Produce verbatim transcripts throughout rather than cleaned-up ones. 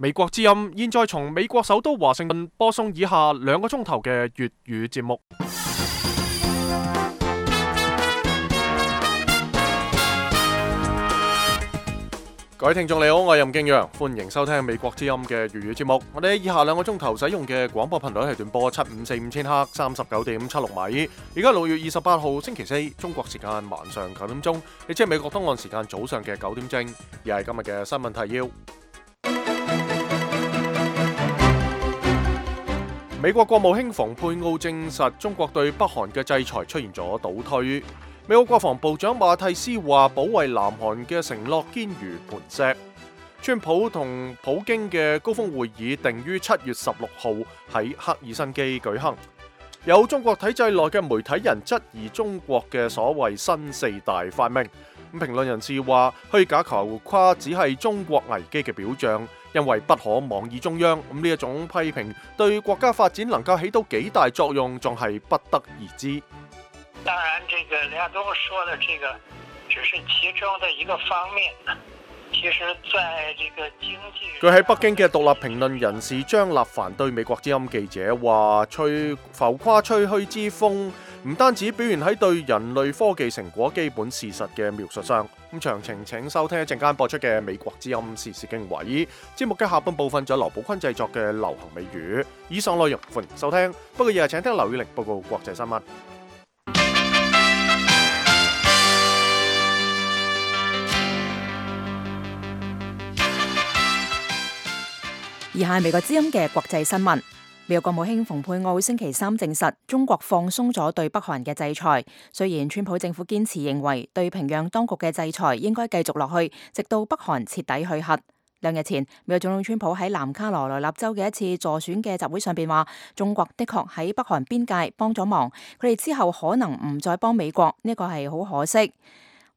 美國之音現在從美國首都華盛頓播送以下兩個鐘頭嘅粵語節目。各位聽眾你好，我係任敬陽，歡迎收聽美國之音嘅粵語節目。我哋以下兩個鐘頭使用嘅廣播頻率係短波七五四五千赫，三十九點七六米。而家六月二十八號星期四，中國時間晚上九點鐘，亦即係美國東岸時間早上嘅九點正。而係今日嘅新聞提要。美國國務卿蓬佩奧證實，中國對北韓嘅制裁出現咗倒退。美國國防部長馬蒂斯話，保衛南韓嘅承諾堅如磐石。川普同普京嘅高峰會議定於七月十六號喺赫爾辛基舉行。有中國體制內嘅媒體人質疑中國嘅所謂新四大發明。咁評論人士話，虛假浮誇只係中國危機嘅表象，因為不可妄議中央。咁呢一種批評對國家發展能夠起到幾大作用，仲係不得而知。當然，這個梁冬說的這個只是其中的一個方面。其實，在這個經濟，據喺北京嘅獨立評論人士張立凡對美國之音記者話：吹浮誇吹噓之風，唔單止表現喺對人類科技成果基本事實嘅描述上。咁詳情請收聽一陣間播出嘅美國之音時事經緯節目嘅下半部分，就有劉寶坤製作嘅流行美語。以上內容歡迎收聽，不過日日請聽劉宇玲報告國際新聞。以下係美國之音嘅國際新聞。美國國務卿蓬佩奧星期三證實，中國放鬆咗對北韓嘅制裁。雖然川普政府堅持認為對平壤當局嘅制裁應該繼續落去，直到北韓徹底去核。兩日前，美國總統川普喺南卡羅來納州嘅一次助選嘅集會上邊話，中國的確喺北韓邊界幫咗忙，佢哋之後可能唔再幫美國，呢個係好可惜。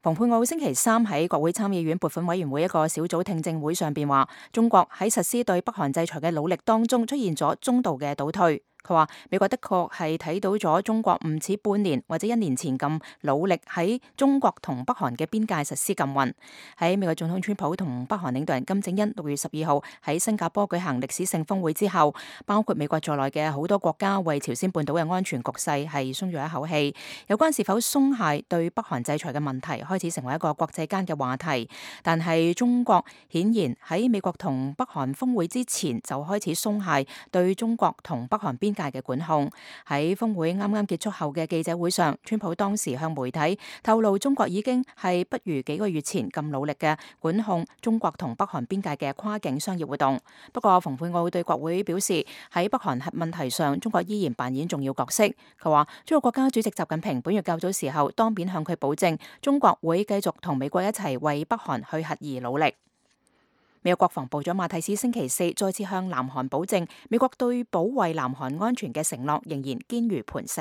蓬佩奧星期三喺國會參議院撥款委員會一個小組聽證會上邊話，中國喺實施對北韓制裁嘅努力當中出現咗中度嘅倒退。佢話美國的確係睇到咗中國唔似半年或者一年前咁努力喺中國同北韓嘅邊界實施禁運。喺美國總統川普同北韓領導人金正恩六月十二號喺新加坡舉行歷史性峰會之後，包括美國在內嘅好多國家為朝鮮半島嘅安全局勢係鬆咗一口氣。有關是否鬆懈對北韓制裁嘅問題開始成為一個國際間嘅話題，但係中國顯然喺美國同北韓峰會之前就開始鬆懈對中國同北韓邊界嘅管控。喺峰會啱啱結束後嘅記者會上，川普當時向媒體透露，中國已經係不如幾個月前咁努力嘅管控中國同北韓邊界嘅跨境商業活動。不過蓬佩奧對國會表示，喺北韓核問題上，中國依然扮演重要角色。佢話中國國家主席習近平本月較早時候當面向佢保證，中國會繼續同美國一齊為北韓去核而努力。美國國防部長馬蒂斯星期四再次向南韓保證，美國對保衛南韓安全嘅承諾仍然堅如磐石。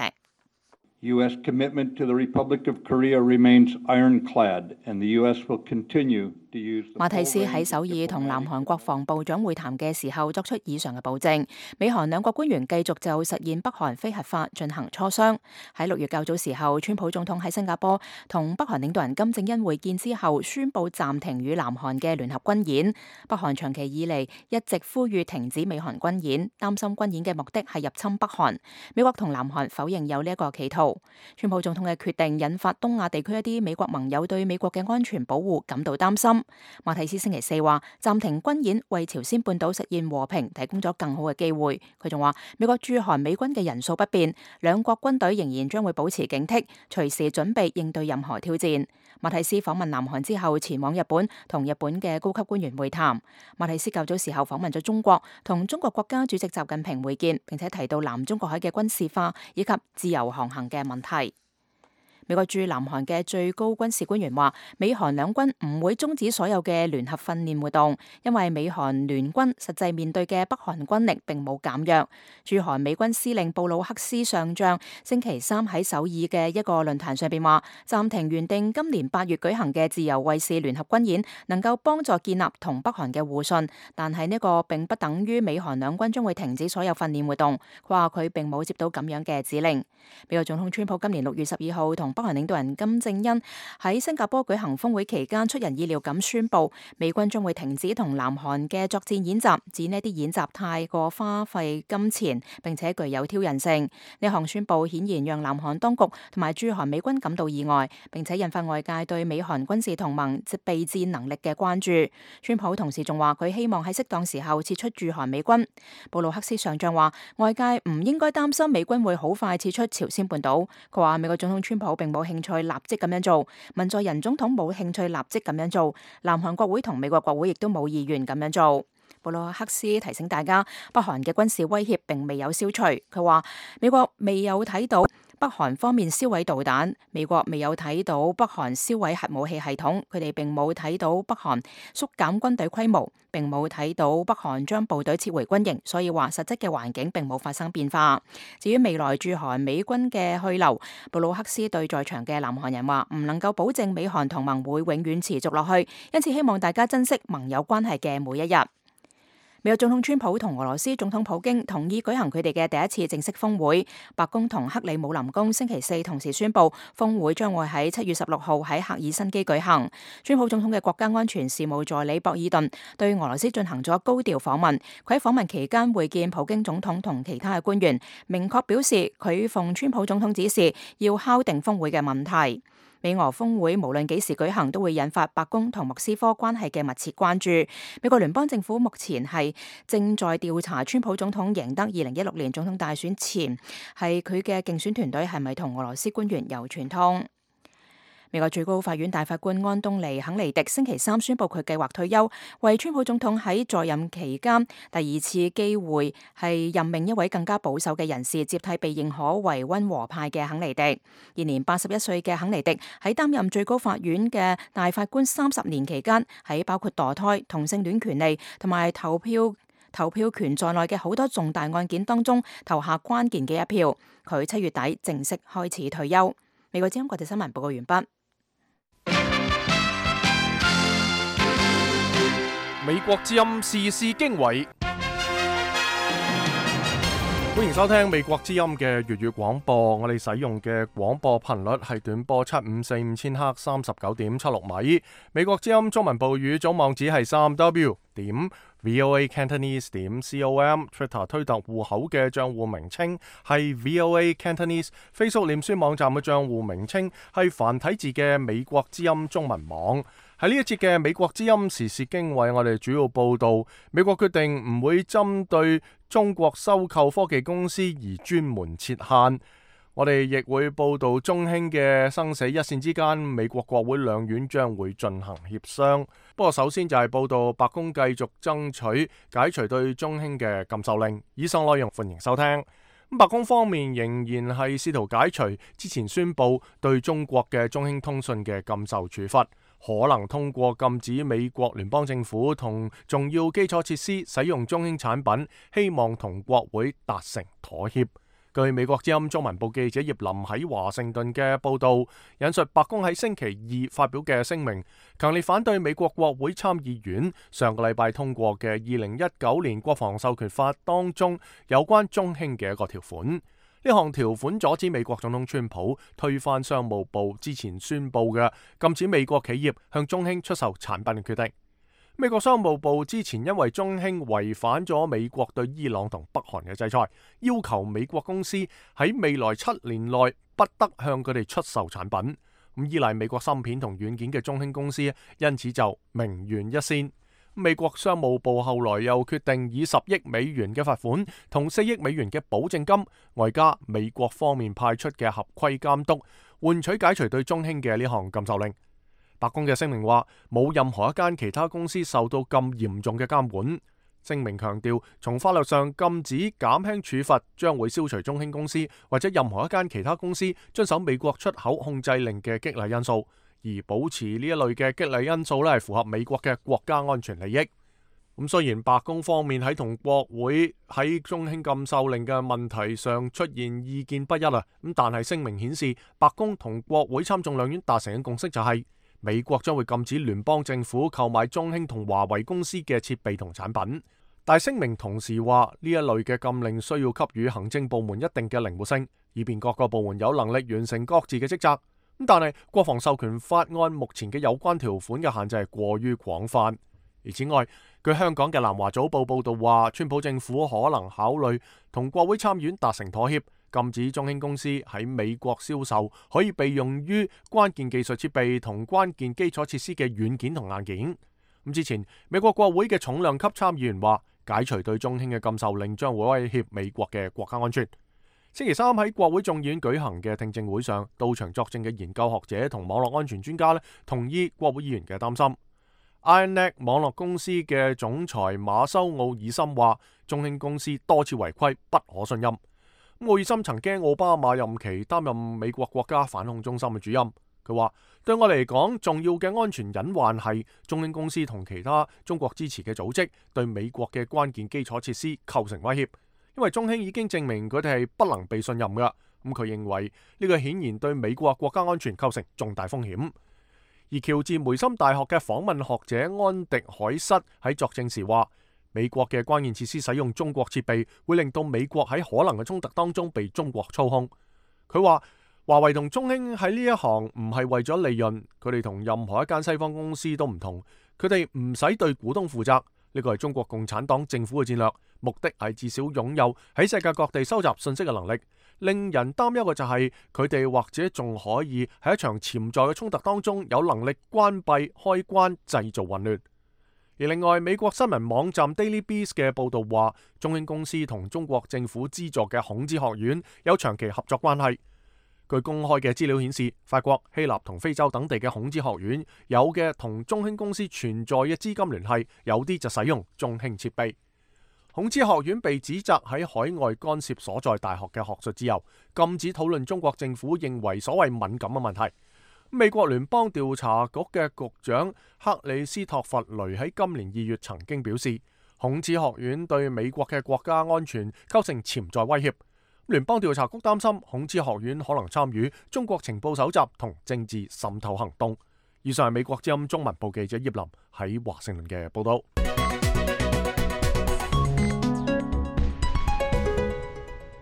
U S commitment to the Republic of Korea remains ironclad, and the U S will continue to use the... 馬蒂斯喺首爾同南韓國防部長會談嘅時候作出以上嘅保證。美韓兩國官員繼續就實現北韓非核化進行磋商。喺六月較早時候，川普總統喺新加坡同北韓領導人金正恩會見之後，宣布暫停與南韓嘅聯合軍演。北韓長期以嚟一直呼籲停止美韓軍演，擔心軍演嘅目的係入侵北韓。美國同南韓否認有呢一個企圖。川普總統嘅決定引發東亞地區一啲美國盟友對美國嘅安全保護感到擔心。馬蒂斯星期四話，暫停軍演為朝鮮半島實現和平提供咗更好嘅機會。佢仲話，美國駐韓美軍嘅人數不變，兩國軍隊仍然將會保持警惕，隨時準備應對任何挑戰。馬蒂斯訪問南韓之後，前往日本同日本嘅高級官員會談。馬蒂斯較早時候訪問咗中國，同中國國家主席習近平會見，並且提到南中國海嘅軍事化以及自由航行嘅問題。美國駐南韓嘅最高軍事官員話，美韓兩軍唔會終止所有嘅聯合訓練活動，因為美韓聯軍實際面對嘅北韓軍力並冇減弱。駐韓美軍司令布魯克斯上將星期三喺首爾嘅一個論壇上邊話，暫停原定今年八月舉行嘅自由衛士聯合軍演，能夠幫助建立同北韓嘅互信，但係呢個並不等於美韓兩軍將會停止所有訓練活動。佢話佢並冇接到咁樣嘅指令。美國總統川普今年六月十二號同北韓領導人金正恩喺新加坡舉行峰會期間，出人意料咁宣布，美軍將會停止同南韓嘅作戰演習，指呢啲演習太過花費金錢，並且具有挑釁性。呢項宣布顯然讓南韓當局同埋駐韓美軍感到意外，並且引發外界對美韓軍事同盟備戰能力嘅關注。川普同時仲話佢希望喺適當時候撤出駐韓美軍。布魯克斯上將話，外界唔應該擔心美軍會好快撤出朝鮮半島。佢話美國總統川普並冇興趣立即咁樣做，文在寅總統冇興趣立即咁樣做，南韓國會同美國國會亦都冇意願咁樣做。布魯克斯提醒大家，北韓嘅軍事威脅並未有消除。佢話美國未有睇到北韓方面銷毀導彈，美國未有睇到北韓銷毀核武器系統，佢哋並冇睇到北韓縮減軍隊規模，並冇睇到北韓將部隊撤回軍營，所以話實質嘅環境並冇發生變化。至於未來駐韓美軍嘅去留，布魯克斯對在場嘅南韓人話唔能夠保證美韓同盟會永遠持續落去，因此希望大家珍惜盟友關係嘅每一日。美國總統川普同俄羅斯總統普京同意舉行佢哋嘅第一次正式峰會。白宮同克里姆林宮星期四同時宣布，峰會將會喺七月十六號喺赫爾辛基舉行。川普總統嘅國家安全事務助理博爾頓對俄羅斯進行咗高調訪問。佢喺訪問期間會見普京總統同其他嘅官員，明確表示佢奉川普總統指示要敲定峰會嘅問題。美俄峰會無論幾時舉行，都會引發白宮同莫斯科關係嘅密切關注。美國聯邦政府目前係正在調查川普總統贏得二零一六年總統大選前，係佢嘅競選團隊係咪同俄羅斯官員有串通。美國最高法院大法官安東尼肯尼迪星期三宣布佢計劃退休，為川普總統喺在任期間第二次機會係任命一位更加保守嘅人士接替被認可為溫和派嘅肯尼迪。現年八十一歲嘅肯尼迪喺擔任最高法院嘅大法官三十年期間，喺包括墮胎、同性戀權利同埋投票投票權在內嘅好多重大案件當中投下關鍵嘅一票。佢七月底正式開始退休。美國之音國際新聞報告完畢。美國之音時事經緯，歡迎收聽美國之音嘅粵語廣播。我哋使用嘅廣播頻率係短波七五四五千赫三十九點七六米。美國之音中文部語總網址係三 w 點 voa cantonese 點 com。Twitter 推特戶口嘅賬戶名稱係 voa cantonese。Facebook 臉書網站嘅賬戶名稱係繁體字嘅美國之音中文網。喺呢一節嘅美國之音時事經緯，我哋主要報道美國決定唔會針對中國收購科技公司而專門設限。我哋亦會報道中興嘅生死一線之間，美國國會兩院將會進行協商。不過首先就係報道白宮繼續爭取解除對中興嘅禁售令。以上內容歡迎收聽。白宮方面仍然係試圖解除之前宣布對中國嘅中興通訊嘅禁售處罰，可能通過禁止美國聯邦政府同重要基礎設施使用中興產品，希望同國會達成妥協。據美國之音中文部記者葉林喺華盛頓嘅報道，引述白宮喺星期二發表嘅聲明，強烈反對美國國會參議院上個禮拜通過嘅二零一九年國防授權法當中有關中興嘅一個條款。呢項條款阻止美國總統川普推翻商務部之前宣布嘅禁止美國企業向中興出售產品嘅決定。美國商務部之前因為中興違反咗美國對伊朗同北韓嘅制裁，要求美國公司喺未來七年內不得向佢哋出售產品。咁依賴美國芯片同軟件嘅中興公司因此就名懸一線。美國商務部後來又決定以十億美元嘅罰款同四億美元嘅保證金，外加美國方面派出嘅合規監督，換取解除對中興嘅呢項禁售令。白宮嘅聲明話，冇任何一間其他公司受到咁嚴重嘅監管。聲明強調，從法律上禁止減輕處罰將會消除中興公司或者任何一間其他公司遵守美國出口控制令嘅激勵因素，而保持呢一類嘅激勵因素咧係符合美國嘅國家安全利益。咁雖然白宮方面喺同國會喺中興禁售令嘅問題上出現意見不一啦，咁但係聲明顯示，白宮同國會參眾兩院達成嘅共識就係、是。美國將會禁止聯邦政府購買中興同華為公司嘅設備同產品，但聲明同時話呢一類嘅禁令需要給予行政部門一定嘅靈活性，以便各個部門有能力完成各自嘅職責。但係國防授權法案目前嘅有關條款嘅限制係過於廣泛。而此外，據香港嘅南華早報報道話，川普政府可能考慮同國會參議院達成妥協，禁止中興公司喺美國銷售可以被用於關鍵技術設備同關鍵基礎設施嘅軟件同硬件。咁之前，美國國會嘅重量級參議員話，解除對中興嘅禁售令將會威脅美國嘅國家安全。星期三喺國會眾議院舉行嘅聽證會上，到場作證嘅研究學者同網絡安全專家咧，同意國會議員嘅擔心。IronNet 網絡公司嘅總裁馬修奧爾森話，中興公司多次違規，不可信任。奧爾森曾經奧巴馬任期擔任美國國家反恐中心嘅主任。佢話，對我嚟講，重要嘅安全隱患係中興公司同其他中國支持嘅組織對美國嘅關鍵基礎設施構成威脅，因為中興已經證明佢哋係不能被信任㗎。咁佢認為呢個顯然對美國國家安全構成重大風險。而喬治梅森大學嘅訪問學者安迪海瑟喺作證時話，美國嘅關鍵設施使用中國設備，會令到美國喺可能嘅衝突當中被中國操控。佢話，華為同中興喺呢一行唔係為咗利潤，佢哋同任何一間西方公司都唔同，佢哋唔使對股東負責。呢個係中國共產黨政府嘅戰略，目的係至少擁有喺世界各地收集信息嘅能力。令人擔憂嘅就係佢哋或者仲可以喺一場潛在嘅衝突當中有能力關閉開關，製造混亂。而另外，美國新聞網站 Daily Beast 嘅報導話，中興公司同中國政府資助嘅孔子學院有長期合作關係。據公開嘅資料顯示，法國、希臘同非洲等地嘅孔子學院有嘅同中興公司存在嘅資金聯繫，有啲就使用中興設備。孔子學院被指責喺海外干涉所在大學嘅學術自由，禁止討論中國政府認為所謂敏感嘅問題。美國聯邦調查局嘅局長克里斯托弗雷喺今年二月曾經表示，孔子學院對美國嘅國家安全構成潛在威脅。聯邦調查局擔心孔子學院可能參與中國情報搜集同政治滲透行動。以上係美國之音中文部記者葉林喺華盛頓嘅報道。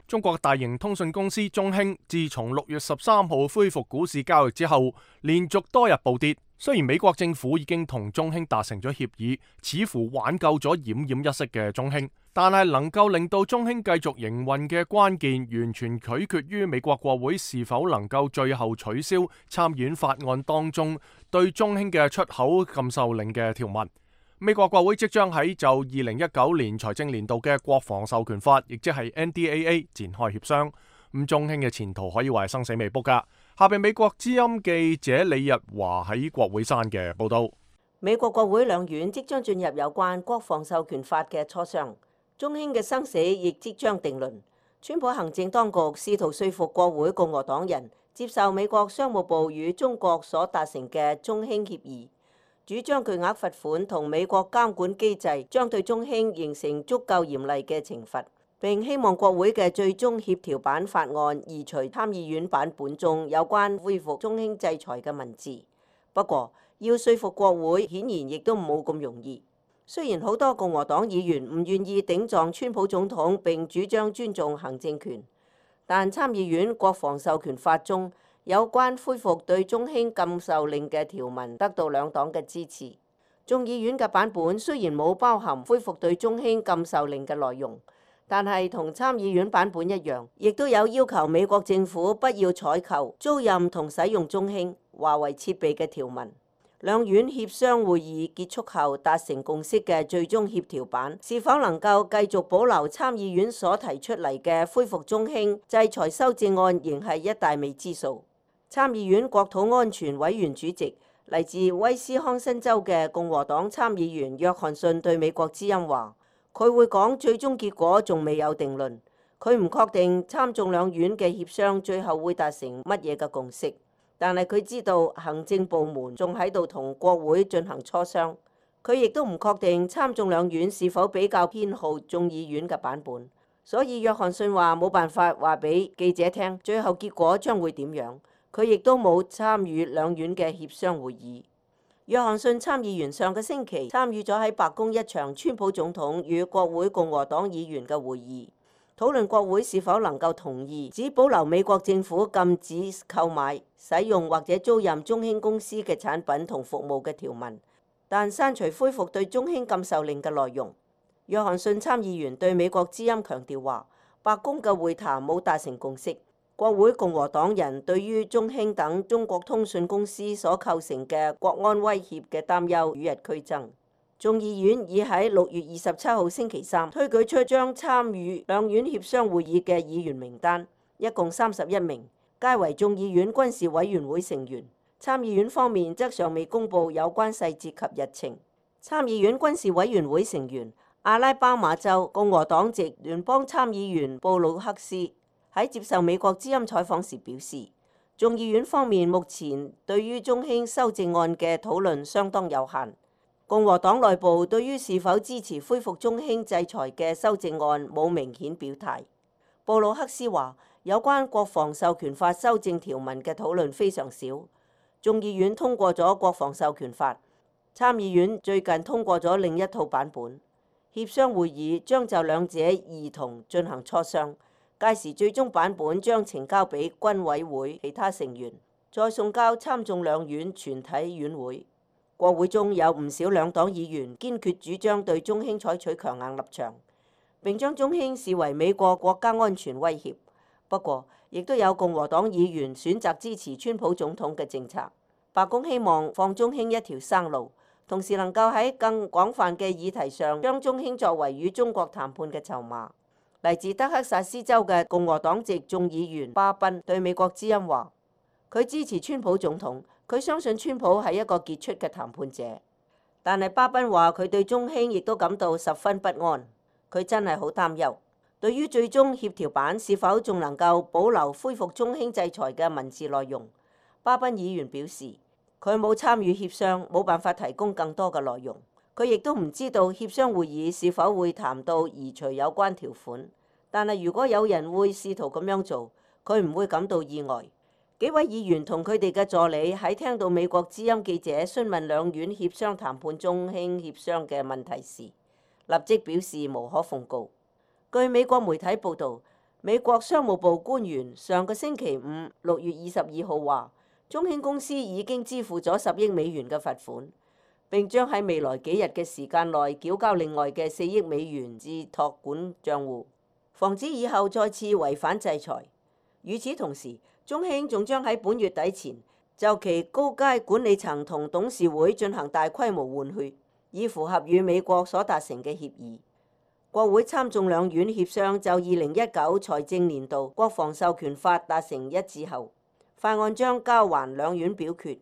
中國大型通訊公司中興自從六月十三號恢復股市交易之後，連續多日暴跌。雖然美國政府已經同中興達成咗協議，似乎挽救咗奄奄一息嘅中興，但係能夠令到中興繼續營運嘅關鍵，完全取決於美國國會是否能夠最後取消參議院法案當中對中興嘅出口禁售令嘅條文。美國國會即將喺就二零一九年財政年度嘅國防授權法，亦即係 N D A A 展開協商。咁中興嘅前途可以話係生死未卜噶。下邊美國之音記者李日華喺國會山嘅報道。美國國會兩院即將進入有關國防授權法嘅磋商，中興嘅生死亦即將定論。川普行政當局試圖說服國會共和黨人接受美國商務部與中國所達成嘅中興協議。主張巨額罰款同美國監管機制將對中興形成足夠嚴厲嘅懲罰，並希望國會嘅最終協調版法案移除參議院版本中有關恢復中興制裁嘅文字。不過，要說服國會顯然亦都冇咁容易。雖然好多共和黨議員唔願意頂撞川普總統並主張尊重行政權，但參議院國防授權法中有關恢復對中興禁售令嘅條文得到兩黨嘅支持。眾議院嘅版本雖然冇包含恢復對中興禁售令嘅內容，但係同參議院版本一樣，亦都有要求美國政府不要採購、租賃同使用中興、華為設備嘅條文。兩院協商會議結束後達成共識嘅最終協調版，是否能夠繼續保留參議院所提出嚟嘅恢復中興制裁修正案，仍係一大未知數。參議院國土安全委員主席嚟自威斯康辛州嘅共和黨參議員約翰遜對美國之音話，佢會講最終結果仲未有定論，佢唔確定參眾兩院嘅協商最後會達成乜嘢嘅共識，但係佢知道行政部門仲喺度同國會進行磋商，佢亦都唔確定參眾兩院是否比較偏好眾議院嘅版本，所以約翰遜話冇辦法話俾記者聽最後結果將會點樣。佢亦都冇參與兩院嘅協商會議。約翰遜參議員上個星期參與咗喺白宮一場川普總統與國會共和黨議員嘅會議，討論國會是否能夠同意只保留美國政府禁止購買、使用或者租賃中興公司嘅產品同服務嘅條文，但刪除恢復對中興禁售令嘅內容。約翰遜參議員對美國之音強調話，白宮嘅會談冇達成共識。國會共和黨人對於中興等中國通訊公司所構成嘅國安威脅嘅擔憂與日俱增。眾議院已喺六月二十七號星期三推舉出將參與兩院協商會議嘅議員名單，一共三十一名，皆為眾議院軍事委員會成員。參議院方面則尚未公布有關細節及日程。參議院軍事委員會成員阿拉巴馬州共和黨籍聯邦參議員布魯克斯喺接受美國之音採訪時表示，眾議院方面目前對於中興修正案嘅討論相當有限。共和黨內部對於是否支持恢復中興制裁嘅修正案冇明顯表態。布魯克斯話，有關國防授權法修正條文嘅討論非常少。眾議院通過咗國防授權法，參議院最近通過咗另一套版本。協商會議將就兩者兒童進行磋商，屆時最終版本將呈交俾軍委會其他成員，再送交參眾兩院全體院會。國會中有唔少兩黨議員堅決主張對中興採取強硬立場，並將中興視為美國國家安全威脅。不過，亦都有共和黨議員選擇支持川普總統嘅政策。白宮希望放中興一條生路，同時能夠喺更廣泛嘅議題上將中興作為與中國談判嘅籌碼。嚟自德克薩斯州嘅共和黨籍眾議員巴賓對美國之音話，佢支持川普總統。佢相信川普係一個傑出嘅談判者，但係巴賓話佢對中興亦都感到十分不安。佢真係好擔憂，對於最終協調版是否仲能夠保留恢復中興制裁嘅文字內容，巴賓議員表示佢冇參與協商，冇辦法提供更多嘅內容。佢亦都唔知道協商會議是否會談到移除有關條款，但係如果有人會試圖咁樣做，佢唔會感到意外。幾位議員同佢哋嘅助理喺聽到美國之音記者詢問兩院協商談判中興協商嘅問題時，立即表示無可奉告。據美國媒體報導，美國商務部官員上個星期五六月二十二號話，中興公司已經支付咗十億美元嘅罰款，並將喺未來幾日嘅時間內繳交另外嘅四億美元至託管帳戶，防止以後再次違反制裁。與此同時，中興仲將喺本月底前就其高階管理層同董事會進行大規模換血，以符合與美國所達成嘅協議。國會參眾兩院協商就二零一九財政年度國防授權法達成一致後，法案將交還兩院表決，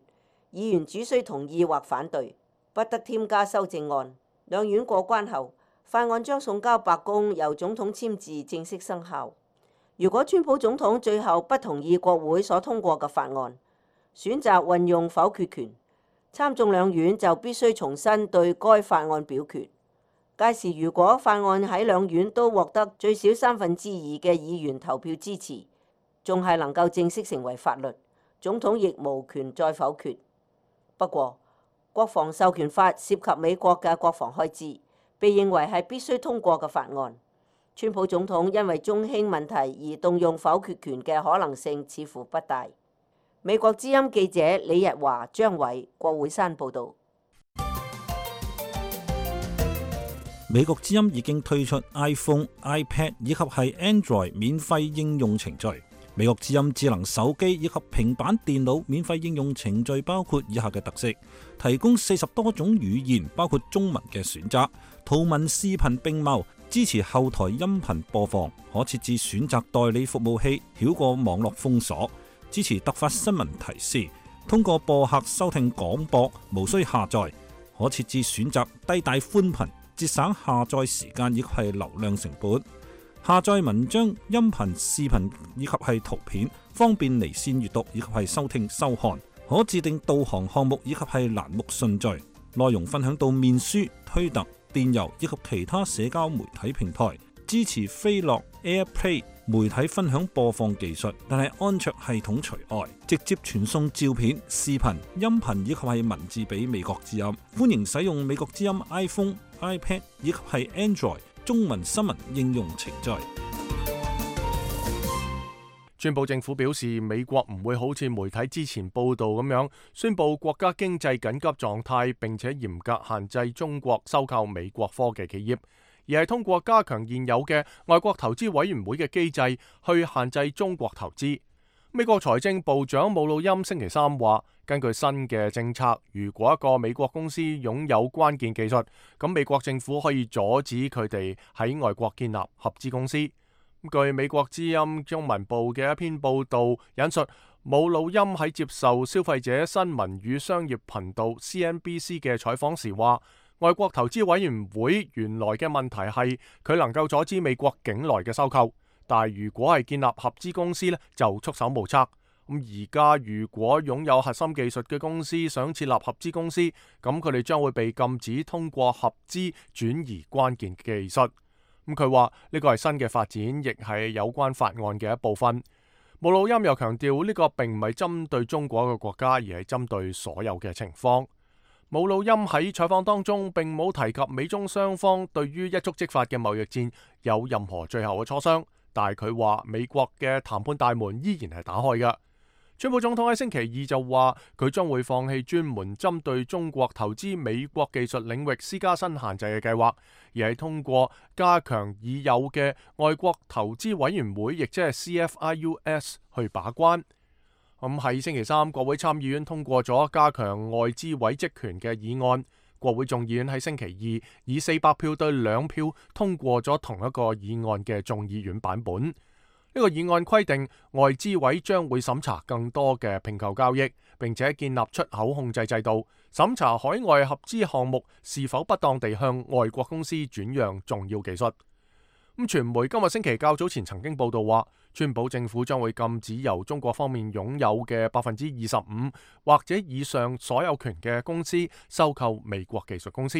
議員只需同意或反對，不得添加修正案。兩院過關後，法案將送交白宮，由總統簽字正式生效。如果川普總統最後不同意國會所通過嘅法案，選擇運用否決權，參眾兩院就必須重新對該法案表決。屆時如果法案喺兩院都獲得最少三分之二嘅議員投票支持，仲係能夠正式成為法律，總統亦無權再否決。不過，國防授權法涉及美國嘅國防開支，被認為係必須通過嘅法案。川普總統因為中興問題而動用否決權嘅可能性似乎不大。美國之音記者李日華、張偉、國會山報導。美國之音已經推出 iPhone、iPad 以及係 Android 免費應用程序。美國之音智能手機以及平板電腦免費應用程序包括以下嘅特色：提供四十多種語言，包括中文嘅選擇，圖文視頻並茂。支持後台音頻播放，可設置選擇代理服務器，繞過網絡封鎖。支持突發新聞提示，通過播客收聽廣播，無需下載。可設置選擇低帶寬頻，節省下載時間以及係流量成本。下載文章、音頻、視頻以及係圖片，方便離線閱讀以及係收聽收看。可自定導航項目以及係欄目順序。內容分享到面書、推特、電郵以及其他社交媒體平台，支持飛樂 AirPlay 媒體分享播放技術，但係安卓系統除外，直接傳送照片、視頻、音頻以及係文字俾美國之音。歡迎使用美國之音 iPhone、iPad 以及係 Android 中文新聞應用程序。川普政府表示，美國唔會好似媒體之前報道咁樣宣布國家經濟緊急狀態，並且嚴格限制中國收購美國科技企業，而係通過加強現有嘅外國投資委員會嘅機制去限制中國投資。美國財政部長姆努欽星期三話，根據新嘅政策，如果一個美國公司擁有關鍵技術，咁美國政府可以阻止佢哋喺外國建立合資公司。據美國之音中文部嘅一篇報道引述，姆努欽喺接受消費者新聞與商業頻道 C N B C 嘅採訪時話，外國投資委員會原來嘅問題係佢能夠阻止美國境內嘅收購。但係如果係建立合資公司呢，就束手無策。咁而家如果擁有核心技術嘅公司想設立合資公司，咁佢哋將會被禁止通過合資轉移關鍵技術。咁佢話呢個係新嘅發展，亦係有關法案嘅一部分。姆努欽又強調呢個並唔係針對中國嘅國家，而係針對所有嘅情況。姆努欽喺採訪當中並冇提及美中雙方對於一觸即發嘅貿易戰有任何最後嘅磋商。但係佢話美國嘅談判大門依然係打開嘅。川普總統喺星期二就話佢將會放棄專門針對中國投資美國技術領域施加新限制嘅計劃，而係通過加強已有嘅外國投資委員會，亦即係 C F I U S 去把關。咁喺星期三，國會參議院通過咗加強外資委職權嘅議案。國會眾議院喺星期二以四百票對兩票通過咗同一個議案嘅眾議院版本。呢個議案規定外資委將會審查更多嘅併購交易，並且建立出口控制制度，審查海外合資項目是否不當地向外國公司轉讓重要技術。咁傳媒今日星期較早前曾經報道話，川普政府將會禁止由中國方面擁有嘅百分之二十五或者以上所有權嘅公司收購美國技術公司。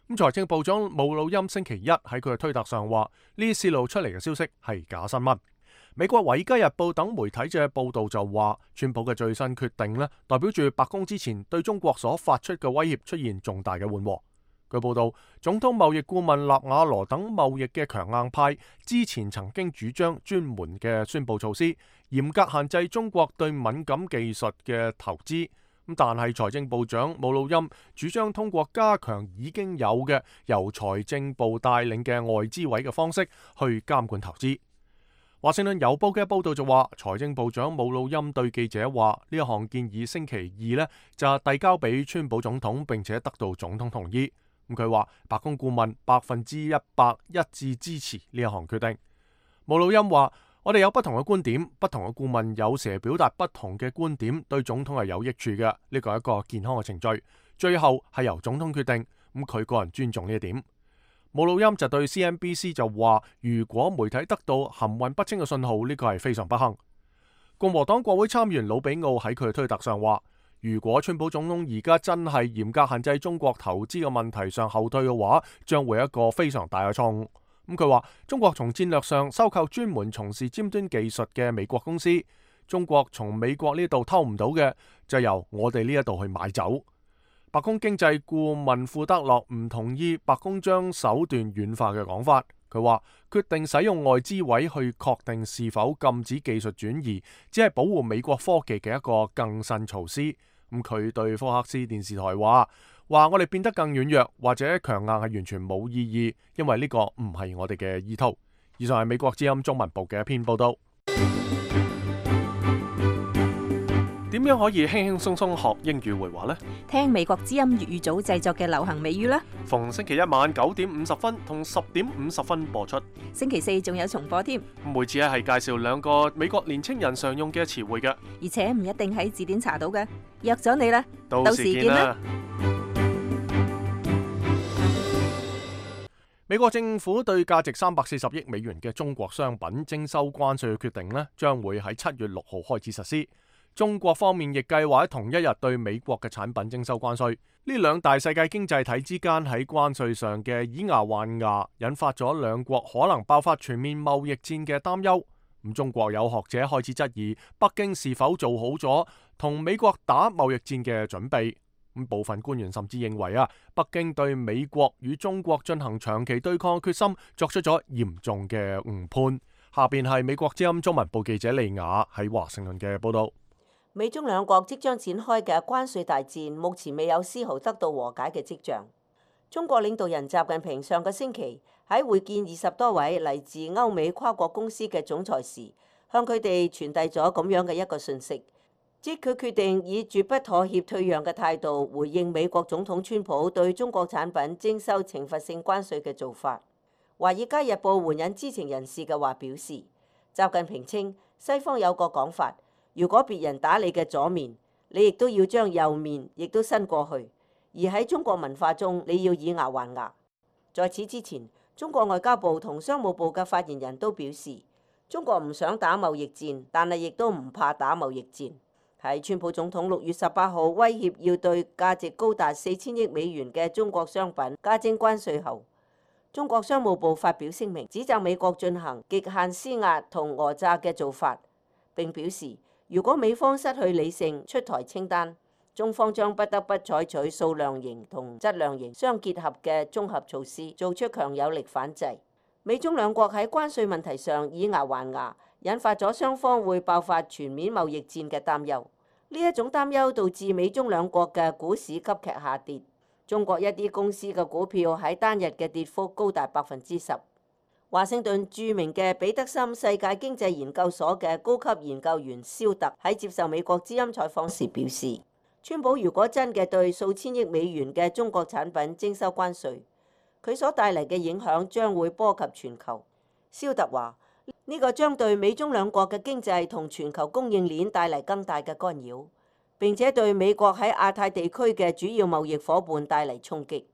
咁財政部長姆努欽星期一喺佢嘅推特上話，呢啲泄露出嚟嘅消息係假新聞。美國《華爾街日報》等媒體嘅報道就話，川普嘅最新決定呢，代表住白宮之前對中國所發出嘅威脅出現重大嘅緩和。據報道，總統貿易顧問納瓦羅等貿易嘅強硬派之前曾經主張專門嘅宣佈措施，嚴格限制中國對敏感技術嘅投資。咁但係財政部長姆努欽主張通過加強已經有嘅由財政部帶領嘅外資委嘅方式去監管投資。華盛頓郵報嘅報道就話，財政部長姆努欽對記者話，呢一項建議星期二呢就遞交俾川普總統，並且得到總統同意。咁佢話白宮顧問百分之一百一致支持呢一項決定。姆努欽話，我哋有不同嘅觀點，不同嘅顧問有時表達不同嘅觀點，對總統係有益處嘅。呢個係一個健康嘅程序，最後係由總統決定。咁佢個人尊重呢一點。姆努欽就對 C N B C 就話，如果媒體得到含混不清嘅信號，呢個係非常不幸。共和黨國會參議員魯比奧喺佢嘅推特上話，如果川普總統而家真係嚴格限制中國投資嘅問題上後退嘅話，將會係一個非常大嘅錯誤。咁佢話，中國從戰略上收購專門從事尖端技術嘅美國公司，中國從美國呢度偷唔到嘅，就由我哋呢一度去買走。白宮經濟顧問庫德洛唔同意白宮將手段軟化嘅講法。佢話決定使用外資委去確定是否禁止技術轉移，只係保護美國科技嘅一個更新措施。咁佢對福克斯電視台話：話我哋變得更軟弱或者強硬係完全冇意義，因為呢個唔係我哋嘅意圖。以上係美國之音中文部嘅一篇報道。點樣可以輕輕鬆鬆學英語會話呢？聽美國之音粵語組製作嘅流行美語啦。逢星期一晚九點五十分同十點五十分播出。星期四仲有重播添。每次咧係介紹兩個美國年青人常用嘅詞彙嘅，而且唔一定喺字典查到嘅。約咗你啦，到時見啦。美國政府對價值三百四十億美元嘅中國商品徵收關稅嘅決定呢，將會喺七月六號開始實施。中國方面亦計劃喺同一日對美國嘅產品徵收關稅。呢兩大世界經濟體之間喺關稅上嘅以牙還牙，引發咗兩國可能爆發全面貿易戰嘅擔憂。咁中國有學者開始質疑北京是否做好咗同美國打貿易戰嘅準備。咁部分官員甚至認為啊，北京對美國與中國進行長期對抗嘅決心作出咗嚴重嘅誤判。下邊係美國之音中文部記者利雅喺華盛頓嘅報道。美中兩國即將展開嘅關稅大戰，目前未有絲毫得到和解嘅跡象。中國領導人習近平上個星期喺會見二十多位嚟自歐美跨國公司嘅總裁時，向佢哋傳遞咗咁樣嘅一個訊息，即佢決定以絕不妥協退讓嘅態度回應美國總統川普對中國產品徵收懲罰性關稅嘅做法。《華爾街日報》援引知情人士嘅話表示，習近平稱西方有個講法，如果別人打你嘅左面，你亦都要將右面亦都伸過去。而喺中國文化中，你要以牙還牙。在此之前，中國外交部同商務部嘅發言人都表示，中國唔想打貿易戰，但係亦都唔怕打貿易戰。喺川普總統六月十八號威脅要對價值高達四千億美元嘅中國商品加徵關稅後，中國商務部發表聲明，指責美國進行極限施壓同訛詐嘅做法，並表示如果美方失去理性出台清單，中方將不得不採取數量型同質量型相結合嘅綜合措施，做出強有力反制。美中兩國喺關稅問題上以牙還牙，引發咗雙方會爆發全面貿易戰嘅擔憂。呢一種擔憂導致美中兩國嘅股市急劇下跌，中國一啲公司嘅股票喺單日嘅跌幅高達百分之十。華盛頓著名嘅彼得森世界經濟研究所嘅高級研究員肖特喺接受美國之音採訪時表示，川普如果真嘅對數千億美元嘅中國產品徵收關稅，佢所帶嚟嘅影響將會波及全球。肖特話：呢個將對美中兩國嘅經濟同全球供應鏈帶嚟更大嘅干擾，並且對美國喺亞太地區嘅主要貿易夥伴帶嚟衝擊。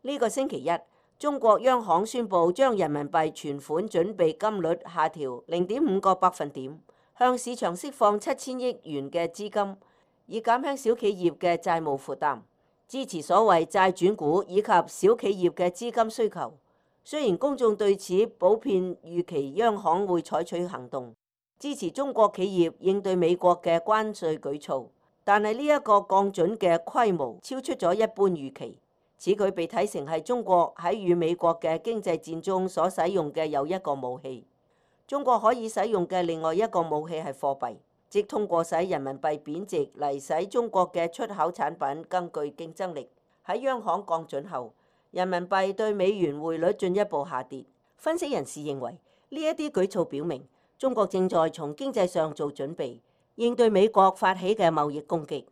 呢個星期一，中國央行宣布將人民幣存款準備金率下調零點五個百分點，向市場釋放七千億元嘅資金，以減輕小企業嘅債務負擔，支持所謂債轉股以及小企業嘅資金需求。雖然公眾對此普遍預期央行會採取行動，支持中國企業應對美國嘅關稅舉措，但係呢一個降準嘅規模超出咗一般預期。此舉被睇成係中國喺與美國嘅經濟戰中所使用嘅又一個武器。中國可以使用嘅另外一個武器係貨幣，即通過使人民幣貶值嚟使中國嘅出口產品更具競爭力。喺央行降準後，人民幣對美元匯率進一步下跌。分析人士認為，呢一啲舉措表明中國正在從經濟上做準備，應對美國發起嘅貿易攻擊。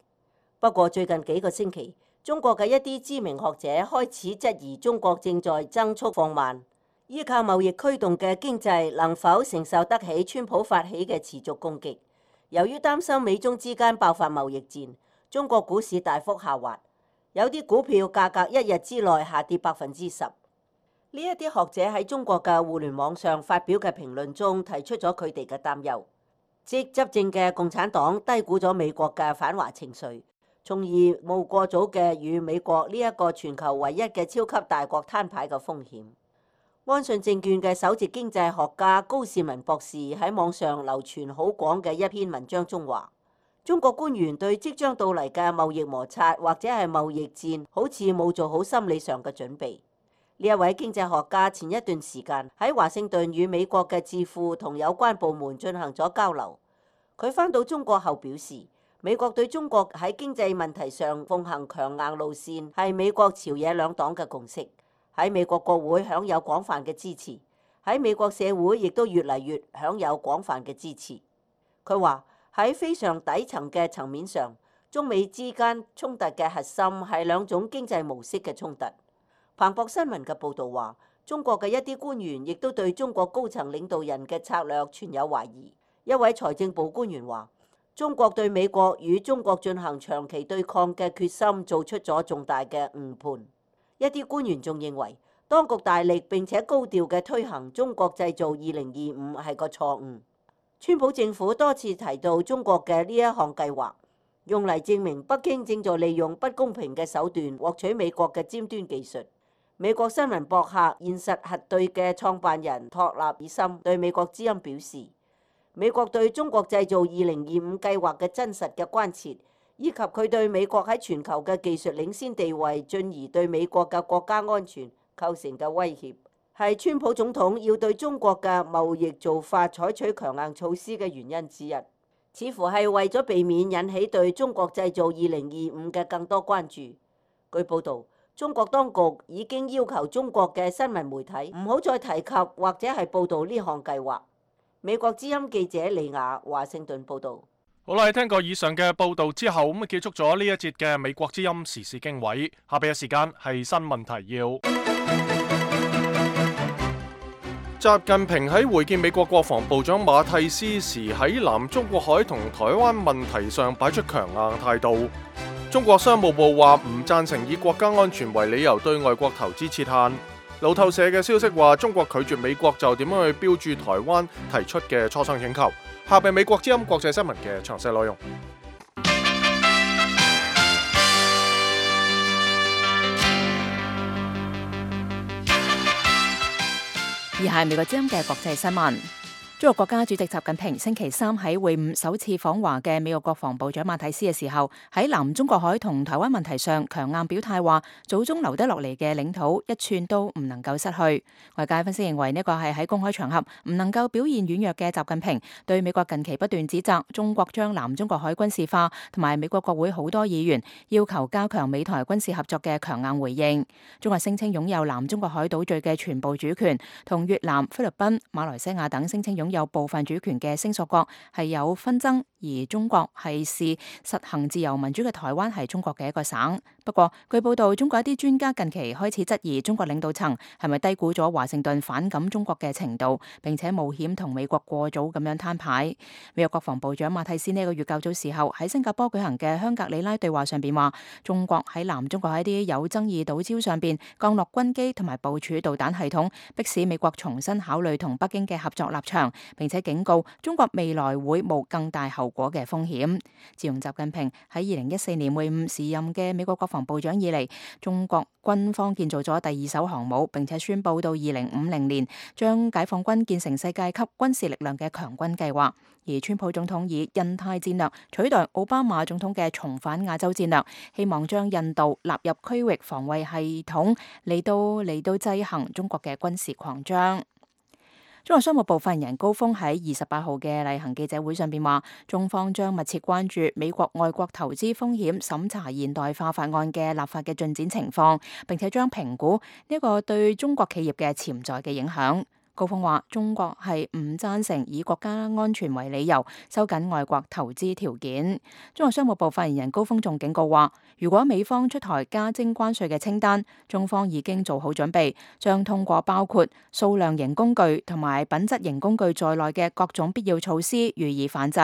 不過最近幾個星期，中國嘅一啲知名學者開始質疑中國正在增速放慢，依靠貿易驅動嘅經濟能否承受得起川普發起嘅持續攻擊。由於擔心美中之間爆發貿易戰，中國股市大幅下滑。有啲股票價格一日之內下跌百分之十。呢一啲學者喺中國嘅互聯網上發表嘅評論中提出咗佢哋嘅擔憂，即執政嘅共產黨低估咗美國嘅反華情緒，從而冒過早嘅與美國呢一個全球唯一嘅超級大國攤牌嘅風險。安信證券嘅首席經濟學家高士文博士喺網上流傳好廣嘅一篇文章中話，中國官員對即將到嚟嘅貿易摩擦或者係貿易戰，好似冇做好心理上嘅準備。呢一位經濟學家前一段時間喺華盛頓與美國嘅智庫同有關部門進行咗交流。佢返到中國後表示，美國對中國喺經濟問題上奉行強硬路線係美國朝野兩黨嘅共識，喺美國國會享有廣泛嘅支持，喺美國社會亦都越嚟越享有廣泛嘅支持。佢話，喺非常底層嘅層面上，中美之間衝突嘅核心係兩種經濟模式嘅衝突。彭博新聞嘅報導話，中國嘅一啲官員亦都對中國高層領導人嘅策略存有懷疑。一位財政部官員話，中國對美國與中國進行長期對抗嘅決心做出咗重大嘅誤判。一啲官員仲認為，當局大力並且高調嘅推行中國製造二零二五係個錯誤。川普政府多次提到中國嘅呢一項計劃，用嚟證明北京正在利用不公平嘅手段獲取美國嘅尖端技術。美國新聞博客現實核對嘅創辦人托納爾森對美國之音表示，美國對中國製造二零二五計劃嘅真實嘅關切，以及佢對美國喺全球嘅技術領先地位，進而對美國嘅國家安全構成嘅威脅，係川普總統要對中國嘅貿易做法採取強硬措施嘅原因之一，似乎係為咗避免引起對中國製造二零二五嘅更多關注。據報導，中國當局已經要求中國嘅新聞媒體唔好再提及或者係報導呢項計劃。美國之音記者李雅華盛頓報導。好啦，聽過以上嘅報導之後，咁啊結束咗呢一節嘅美國之音時事經緯。下邊嘅時間係新聞提要。習近平喺會見美國國防部長馬蒂斯時，喺南中國海同台灣問題上擺出強硬態度。中國商務部話唔贊成以國家安全為理由對外國投資設限。路透社嘅消息話，中國拒絕美國就點樣去標注台灣提出嘅磋商請求。下邊美國之音國際新聞嘅詳細內容。以下係美國之音嘅國際新聞。中國國家主席習近平星期三喺會晤首次訪華嘅美國國防部長馬蒂斯嘅時候，喺南中國海同台灣問題上強硬表態，話祖宗留得落嚟嘅領土一寸都唔能夠失去。外界分析認為呢個係喺公開場合唔能夠表現軟弱嘅習近平對美國近期不斷指責中國將南中國海軍事化，同埋美國國會好多議員要求加強美台軍事合作嘅強硬回應。中國聲稱擁有南中國海島嶼嘅全部主權，同越南、菲律賓、馬來西亞等聲稱擁有有部分主權嘅聲索國係有紛爭，而中國係視實行自由民主嘅台灣係中國嘅一個省。不過據報道，中國一啲專家近期開始質疑中國領導層係咪低估咗華盛頓反感中國嘅程度，並且冒險同美國過早咁樣攤牌。美國國防部長馬蒂斯呢個月較早時候喺新加坡舉行嘅香格里拉對話上邊話，中國喺南中國喺啲有爭議島礁上邊降落軍機同埋部署導彈系統，迫使美國重新考慮同北京嘅合作立場，並且警告中國未來會冒更大後果嘅風險。自從習近平喺二零一四年會晤時任嘅美國國防部長以嚟，中國軍方建造咗第二艘航母，並且宣布到二零五零年將解放軍建成世界級軍事力量嘅強軍計劃。而川普總統以印太戰略取代奧巴馬總統嘅重返亞洲戰略，希望將印度納入區域防衛系統，嚟到嚟到制衡中國嘅軍事擴張。中國商務部發言人高峰喺二十八號嘅例行記者會上邊話，中方將密切關注美國外國投資風險審查現代化法案嘅立法嘅進展情況，並且將評估呢個對中國企業嘅潛在嘅影響。高峰話，中國係唔贊成以國家安全為理由收緊外國投資條件。中國商務部發言人高峰仲警告話，如果美方出台加徵關稅嘅清單，中方已經做好準備，將通過包括數量型工具同埋品質型工具在內嘅各種必要措施予以反制。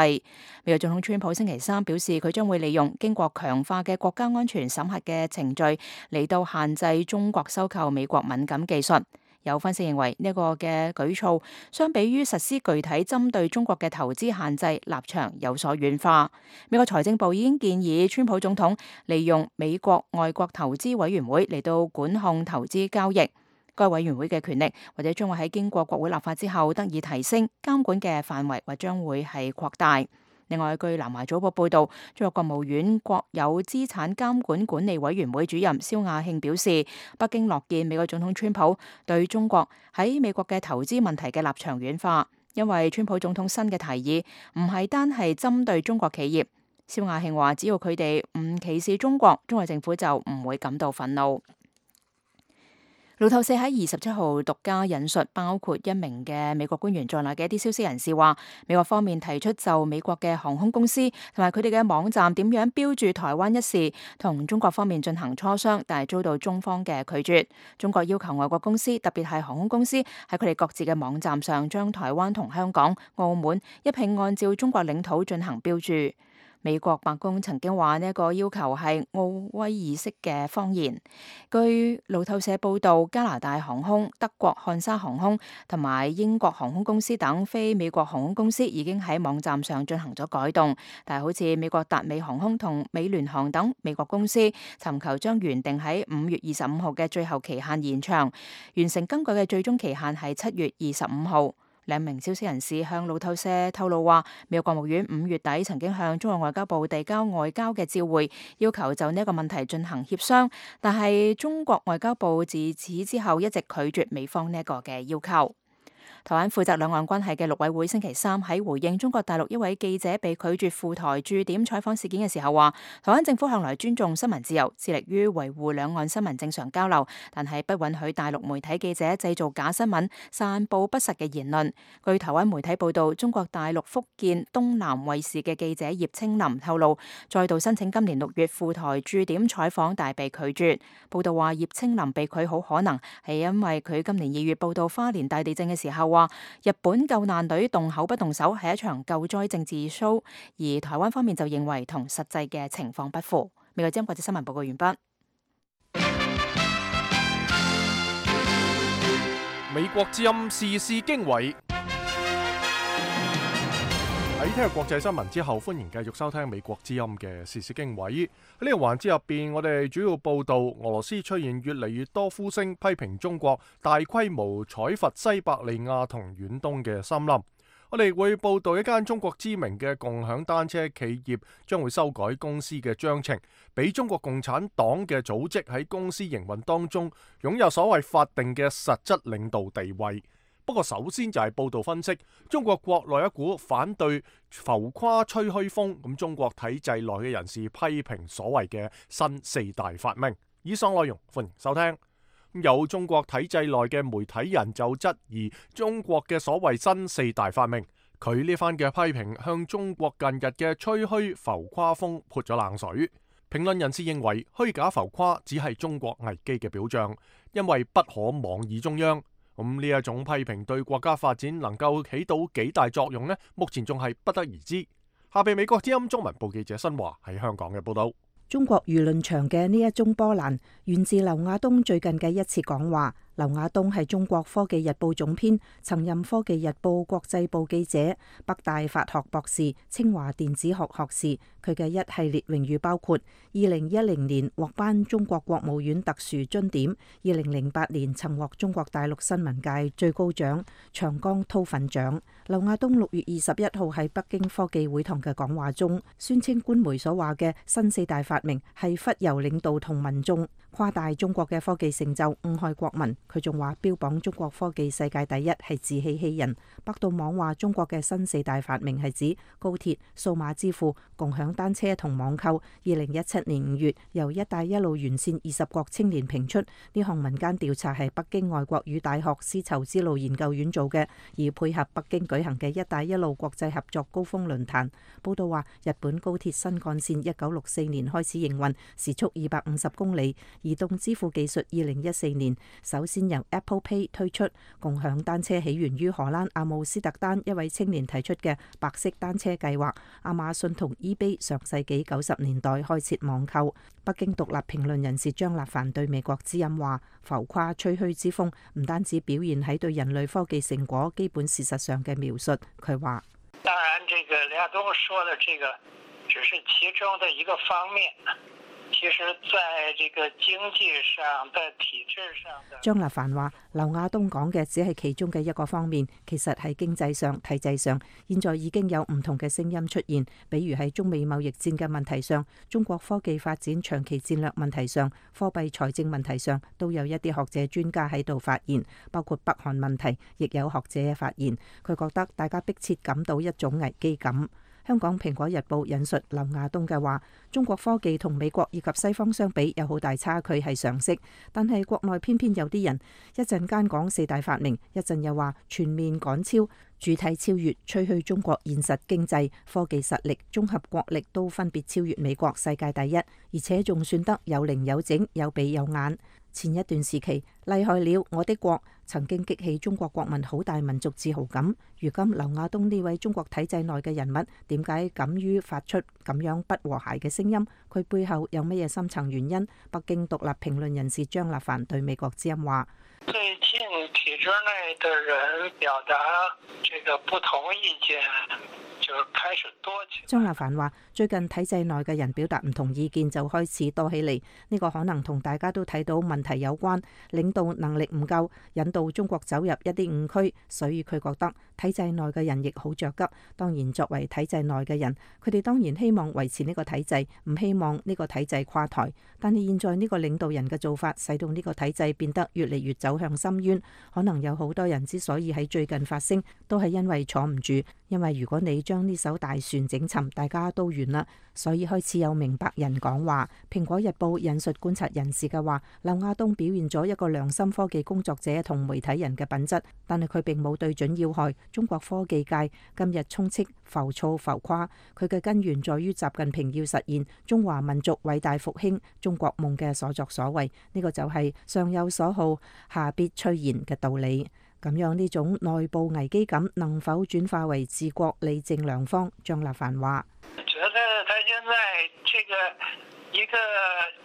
美國總統川普星期三表示，佢將會利用經過強化嘅國家安全審核嘅程序嚟到限制中國收購美國敏感技術。有分析認為呢個嘅舉措相比於實施具體針對中國嘅投資限制立場有所軟化。美國財政部已經建議川普總統利用美國外國投資委員會嚟到管控投資交易。該委員會嘅權力或者將會喺經過國會立法之後得以提升，監管嘅範圍或將會係擴大。另外，據南華早報報道，中國國務院國有資產監管管理委員會主任肖亞慶表示，北京樂見美國總統川普對中國喺美國嘅投資問題嘅立場軟化，因為川普總統新嘅提議唔係單係針對中國企業。肖亞慶話，只要佢哋唔歧視中國，中國政府就唔會感到憤怒。路透社喺二十七號獨家引述包括一名嘅美國官員在內嘅一啲消息人士話，美國方面提出就美國嘅航空公司同埋佢哋嘅網站點樣標注台灣一事，同中國方面進行磋商，但係遭到中方嘅拒絕。中國要求外國公司，特別係航空公司喺佢哋各自嘅網站上將台灣同香港、澳門一併按照中國領土進行標注。美國白宮曾經話呢一個要求係奧威爾式嘅謊言。據路透社報道，加拿大航空、德國漢莎航空同埋英國航空公司等非美國航空公司已經喺網站上進行咗改動，但係好似美國達美航空同美聯航等美國公司尋求將原定喺五月二十五號嘅最後期限延長，完成更改嘅最終期限係七月二十五號。兩名消息人士向路透社透露話，美國國務院五月底曾經向中國外交部遞交外交嘅照會，要求就呢一個問題進行協商，但係中國外交部自此之後一直拒絕美方呢一個嘅要求。台灣負責兩岸關係嘅陸委會星期三喺回應中國大陸一位記者被拒絕赴台駐點採訪事件嘅時候話，台灣政府向來尊重新聞自由，致力於維護兩岸新聞正常交流，但係不允許大陸媒體記者製造假新聞、散佈不實嘅言論。據台灣媒體報道，中國大陸福建東南衛視嘅記者葉青林透露，再度申請今年六月赴台駐點採訪，但被拒絕。報道話葉青林被拒好可能係因為佢今年二月報道花蓮大地震嘅時候話日本救難隊動口不動手係一場救災政治 show， 而台灣方面就認為同實際嘅情況不符。美國之音國際新聞報告完畢。美國之音時事經緯。喺聽日國際新聞之後，歡迎繼續收聽美國之音嘅時事經緯。喺呢個環節入邊，我哋主要報道俄羅斯出現越嚟越多呼聲，批評中國大規模採伐西伯利亞同遠東嘅森林。我哋會報道一間中國知名嘅共享單車企業將會修改公司嘅章程，俾中國共產黨嘅組織喺公司營運當中擁有所謂法定嘅實質領導地位。不過首先就係報道分析中國國內一股反對浮誇吹噓風，咁中國體制內嘅人士批評所謂嘅新四大發明。以上內容歡迎收聽。有中國體制內嘅媒體人就質疑中國嘅所謂新四大發明，佢呢番嘅批評向中國近日嘅吹噓浮誇風潑咗冷水。評論人士認為虛假浮誇只係中國危機嘅表象，因為不可妄議中央。咁呢一種批評對國家發展能夠起到幾大作用呢？目前仲係不得而知。下邊美國之音中文部記者新華喺香港嘅報道。中國輿論場嘅呢一宗波瀾源自劉亞東最近嘅一次講話。劉亞東係中國科技日報總編，曾任科技日報國際部記者，北大法學博士，清華電子學學士。佢嘅一系列榮譽包括：二零一零年獲頒中國國務院特殊欽點，二零零八年曾獲中國大陸新聞界最高獎長江韜奮獎。劉亞東六月二十一號喺北京科技會堂嘅講話中，宣稱官媒所話嘅新四大發明係忽悠領導同民眾，誇大中國嘅科技成就，誤害國民。佢仲話標榜中國科技世界第一係自欺欺人。百度網話中國嘅新四大發明係指高鐵、數碼支付、共享單車同網購。二零一七年五月，由一帶一路沿線二十國青年評出，呢項民間調查係北京外國語大學絲綢之路研究院做嘅，而配合北京舉行嘅一帶一路國際合作高峰論壇。報道話，日本高鐵新幹線一九六四年開始營運，時速二百五十公里。移動支付技術二零一四年首先由 Apple Pay 推出。共享單車起源於荷蘭阿姆斯特丹一位青年提出嘅白色單車計劃。亞馬遜同 eBay 上世紀九十年代開設網購。北京獨立評論人士張立凡對美國之音話：浮誇吹噓之風唔單止表現喺對人類科技成果基本事實上嘅描述。佢話：當然，這個劉亞東說的這個只是其中的一個方面。其實在這個經濟上的體制上的，張立凡話：劉亞東講嘅只係其中嘅一個方面，其實喺經濟上、體制上，現在已經有唔同嘅聲音出現。比如喺中美貿易戰嘅問題上，中國科技發展長期戰略問題上，貨幣財政問題上，都有一啲學者專家喺度發言。包括北韓問題，亦有學者發言。佢覺得大家迫切感到一種危機感。香港蘋果日報引述劉亞東嘅話：中國科技同美國以及西方相比有好大差距係常識，但係國內偏偏有啲人一陣間講四大發明，一陣又話全面趕超、主體超越，吹噓中國現實經濟、科技實力、綜合國力都分別超越美國世界第一，而且仲算得有零有整、有鼻有眼。前一段時期，厲害了我的國曾經激起中國國民好大民族自豪感。如今劉亞東呢位中國體制內嘅人物，點解敢於發出咁樣不和諧嘅聲音？佢背後有乜嘢深層原因？北京獨立評論人士張立凡對美國之音話：最近體制內的人表達這個不同意見，就就開始多起來。張立凡話：最近體制內嘅人表達唔同意見就開始多起嚟，呢個可能同大家都睇到問題有關，領導能力唔夠，引導中國走入一啲誤區，所以佢覺得體制內嘅人亦好着急。當然，作為體制內嘅人，佢哋當然希望維持呢個體制，唔希望呢個體制垮台。但係現在呢個領導人嘅做法，使到呢個體制變得越嚟越走向深淵。可能有好多人之所以喺最近發聲，都係因為坐唔住。因為如果你將呢艘大船整沉，大家都完啦。所以開始有明白人講話。蘋果日報引述觀察人士嘅話，劉亞東表現咗一個良心科技工作者同媒體人嘅品質，但係佢並冇對準要害。中國科技界今日充斥浮躁浮誇，佢嘅根源在於習近平要實現中華民族偉大復興中國夢嘅所作所為。呢個就係上有所好，下必趨然嘅道理。咁樣呢種內部危機感能否轉化為治國理政良方？張立凡話：覺得他現在這個一個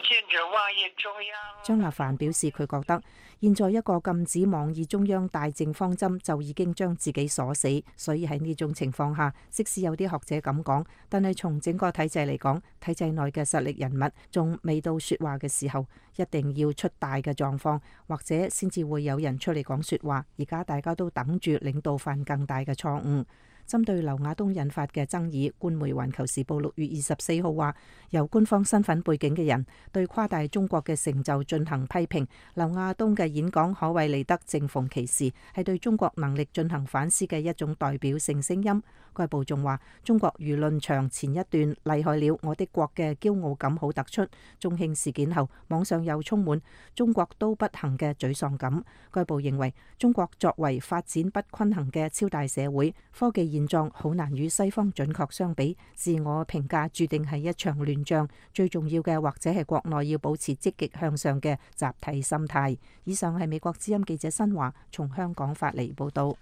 禁止妄議中央。張立凡表示，佢覺得現在一個禁止妄議中央大政方針就已經將自己鎖死，所以喺呢種情況下，即使有啲學者咁講，但係從整個體制嚟講，體制內嘅實力人物仲未到說話嘅時候，一定要出大嘅狀況，或者先至會有人出嚟講說話。而家大家都等住領導犯更大嘅錯誤。針對劉亞東引發嘅爭議，官媒《環球時報》六月二十四號話，由官方身份背景嘅人對誇大中國嘅成就進行批評。劉亞東嘅演講可謂嚟得正逢其時，係對中國能力進行反思嘅一種代表性聲音。該報仲話，中國輿論場前一段厲害了我的國嘅驕傲感好突出。中興事件後，網上又充滿中國都不行嘅沮喪感。該報認為，中國作為發展不均衡嘅超大社會，科技現狀好難與西方準確相比，自我評價注定係一場亂仗。最重要嘅或者係國內要保持積極向上嘅集體心態。以上係美國之音記者新華從香港發嚟報道。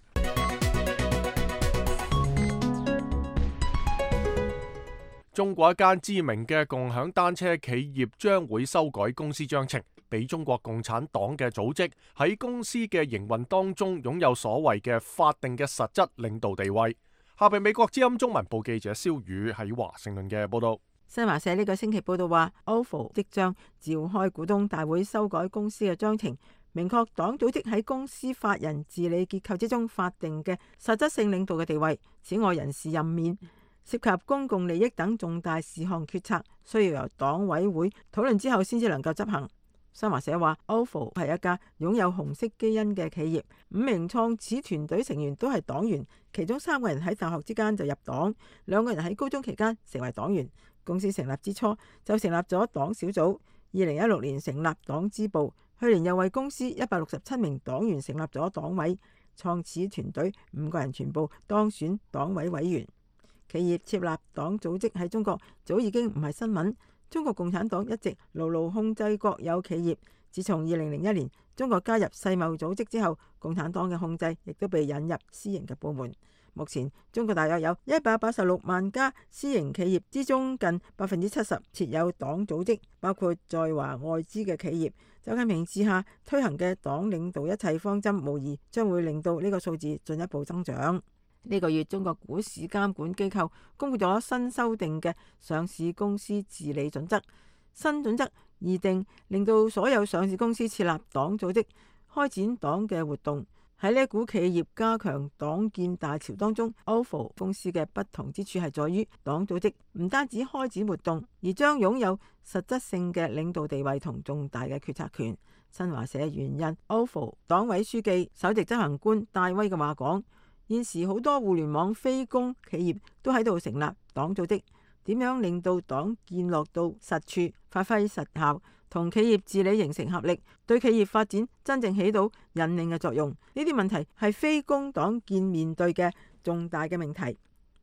中國一間知名嘅共享單車企業將會修改公司章程，俾中國共產黨嘅組織喺公司嘅營運當中擁有所謂嘅法定嘅實質領導地位。下邊美國之音中文部記者蕭宇喺華盛頓嘅報道。新華社呢個星期報道話 ，O F O 即將召開股東大會修改公司嘅章程，明確黨組織喺公司法人治理結構之中法定嘅實質性領導嘅地位。此外，人事任免涉及公共利益等重大事項決策，需要由黨委會討論之後先至能夠執行。新華社話 ，O F O 係一家擁有紅色基因嘅企業，五名創始團隊成員都係黨員，其中三個人喺大學之間就入黨，兩個人喺高中期間成為黨員。公司成立之初就成立咗黨小組，二零一六年成立黨支部，去年又為公司一百六十七名黨員成立咗黨委，創始團隊五個人全部當選黨委委員。企業設立黨組織喺中國早已經唔係新聞。中國共產黨一直牢牢控制國有企業。自從二零零一年中國加入世貿組織之後，共產黨嘅控制亦都被引入私營嘅部門。目前中國大約有一百八十六萬家私營企業之中，近百分之七十設有黨組織，包括在華外資嘅企業。習近平治下推行嘅黨領導一切方針，無疑將會令到呢個數字進一步增長。呢個月，中國股市監管機構公布咗新修訂嘅上市公司治理準則。新準則擬定，令到所有上市公司設立黨組織，開展黨嘅活動。喺呢一股企業加強黨建大潮當中 ，O F O 公司嘅不同之處係在於，黨組織唔單止開展活動，而將擁有實質性嘅領導地位同重大嘅決策權。新華社援引 O F O 黨委書記、首席執行官戴威嘅話講。現時好多互聯網非公企業都喺度成立黨組織，點樣令到黨建落到實處，發揮實效，同企業治理形成合力，對企業發展真正起到引領嘅作用？呢啲問題係非公黨建面對嘅重大嘅命題。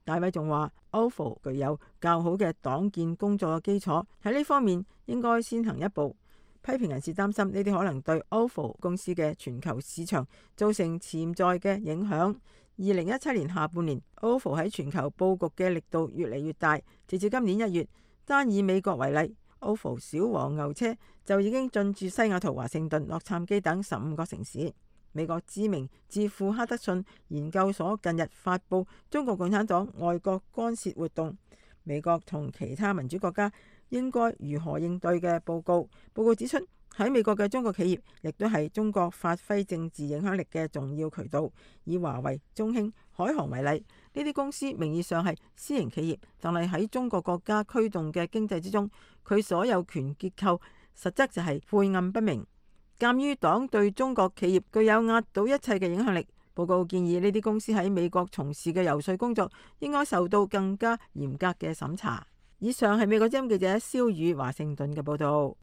大衛仲話 ，O F O 具有較好嘅黨建工作嘅基礎，喺呢方面應該先行一步。批評人士擔心呢啲可能對 O F O 公司嘅全球市場造成潛在嘅影響。二零一七年下半年 ，O F O 喺全球佈局嘅力度越嚟越大。直至今年一月，單以美國為例 ，O F O 小黃牛車就已經進駐西雅圖、華盛頓、洛杉磯等十五個城市。美國知名智庫哈德遜研究所近日發布《中國共產黨外國干涉活動：美國同其他民主國家應該如何應對》嘅報告。報告指出，喺美國嘅中國企業亦都係中國發揮政治影響力嘅重要渠道。以華為、中興、海航為例，呢啲公司名義上係私營企業，但係喺中國國家驅動嘅經濟之中，佢所有權結構實質就係晦暗不明。鑑於黨對中國企業具有壓倒一切嘅影響力，報告建議呢啲公司喺美國從事嘅遊說工作應該受到更加嚴格嘅審查。以上係美國之音記者蕭宇華盛頓嘅報導。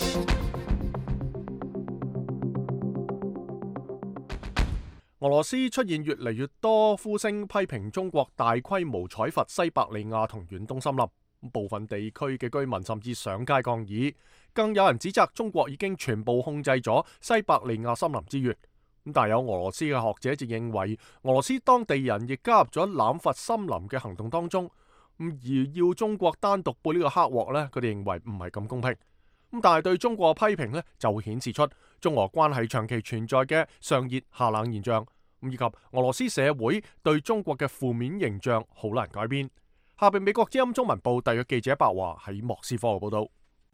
俄羅斯出現越嚟越多呼聲批評中國大規模採伐西伯利亞同遠東森林，部分地區嘅居民甚至上街抗議，更有人指責中國已經全部控制咗西伯利亞森林資源。但有俄羅斯嘅學者就認為，俄羅斯當地人亦加入咗濫伐森林嘅行動當中，而要中國單獨背呢個黑鑊呢，佢哋認為唔係咁公平。但係對中國嘅批評呢，就會顯示出中俄關係長期存在嘅上熱下冷現象，以及俄羅斯社會對中國嘅負面形象好難改變。下邊美國之音中文部特約記者白華喺莫斯科嘅報道。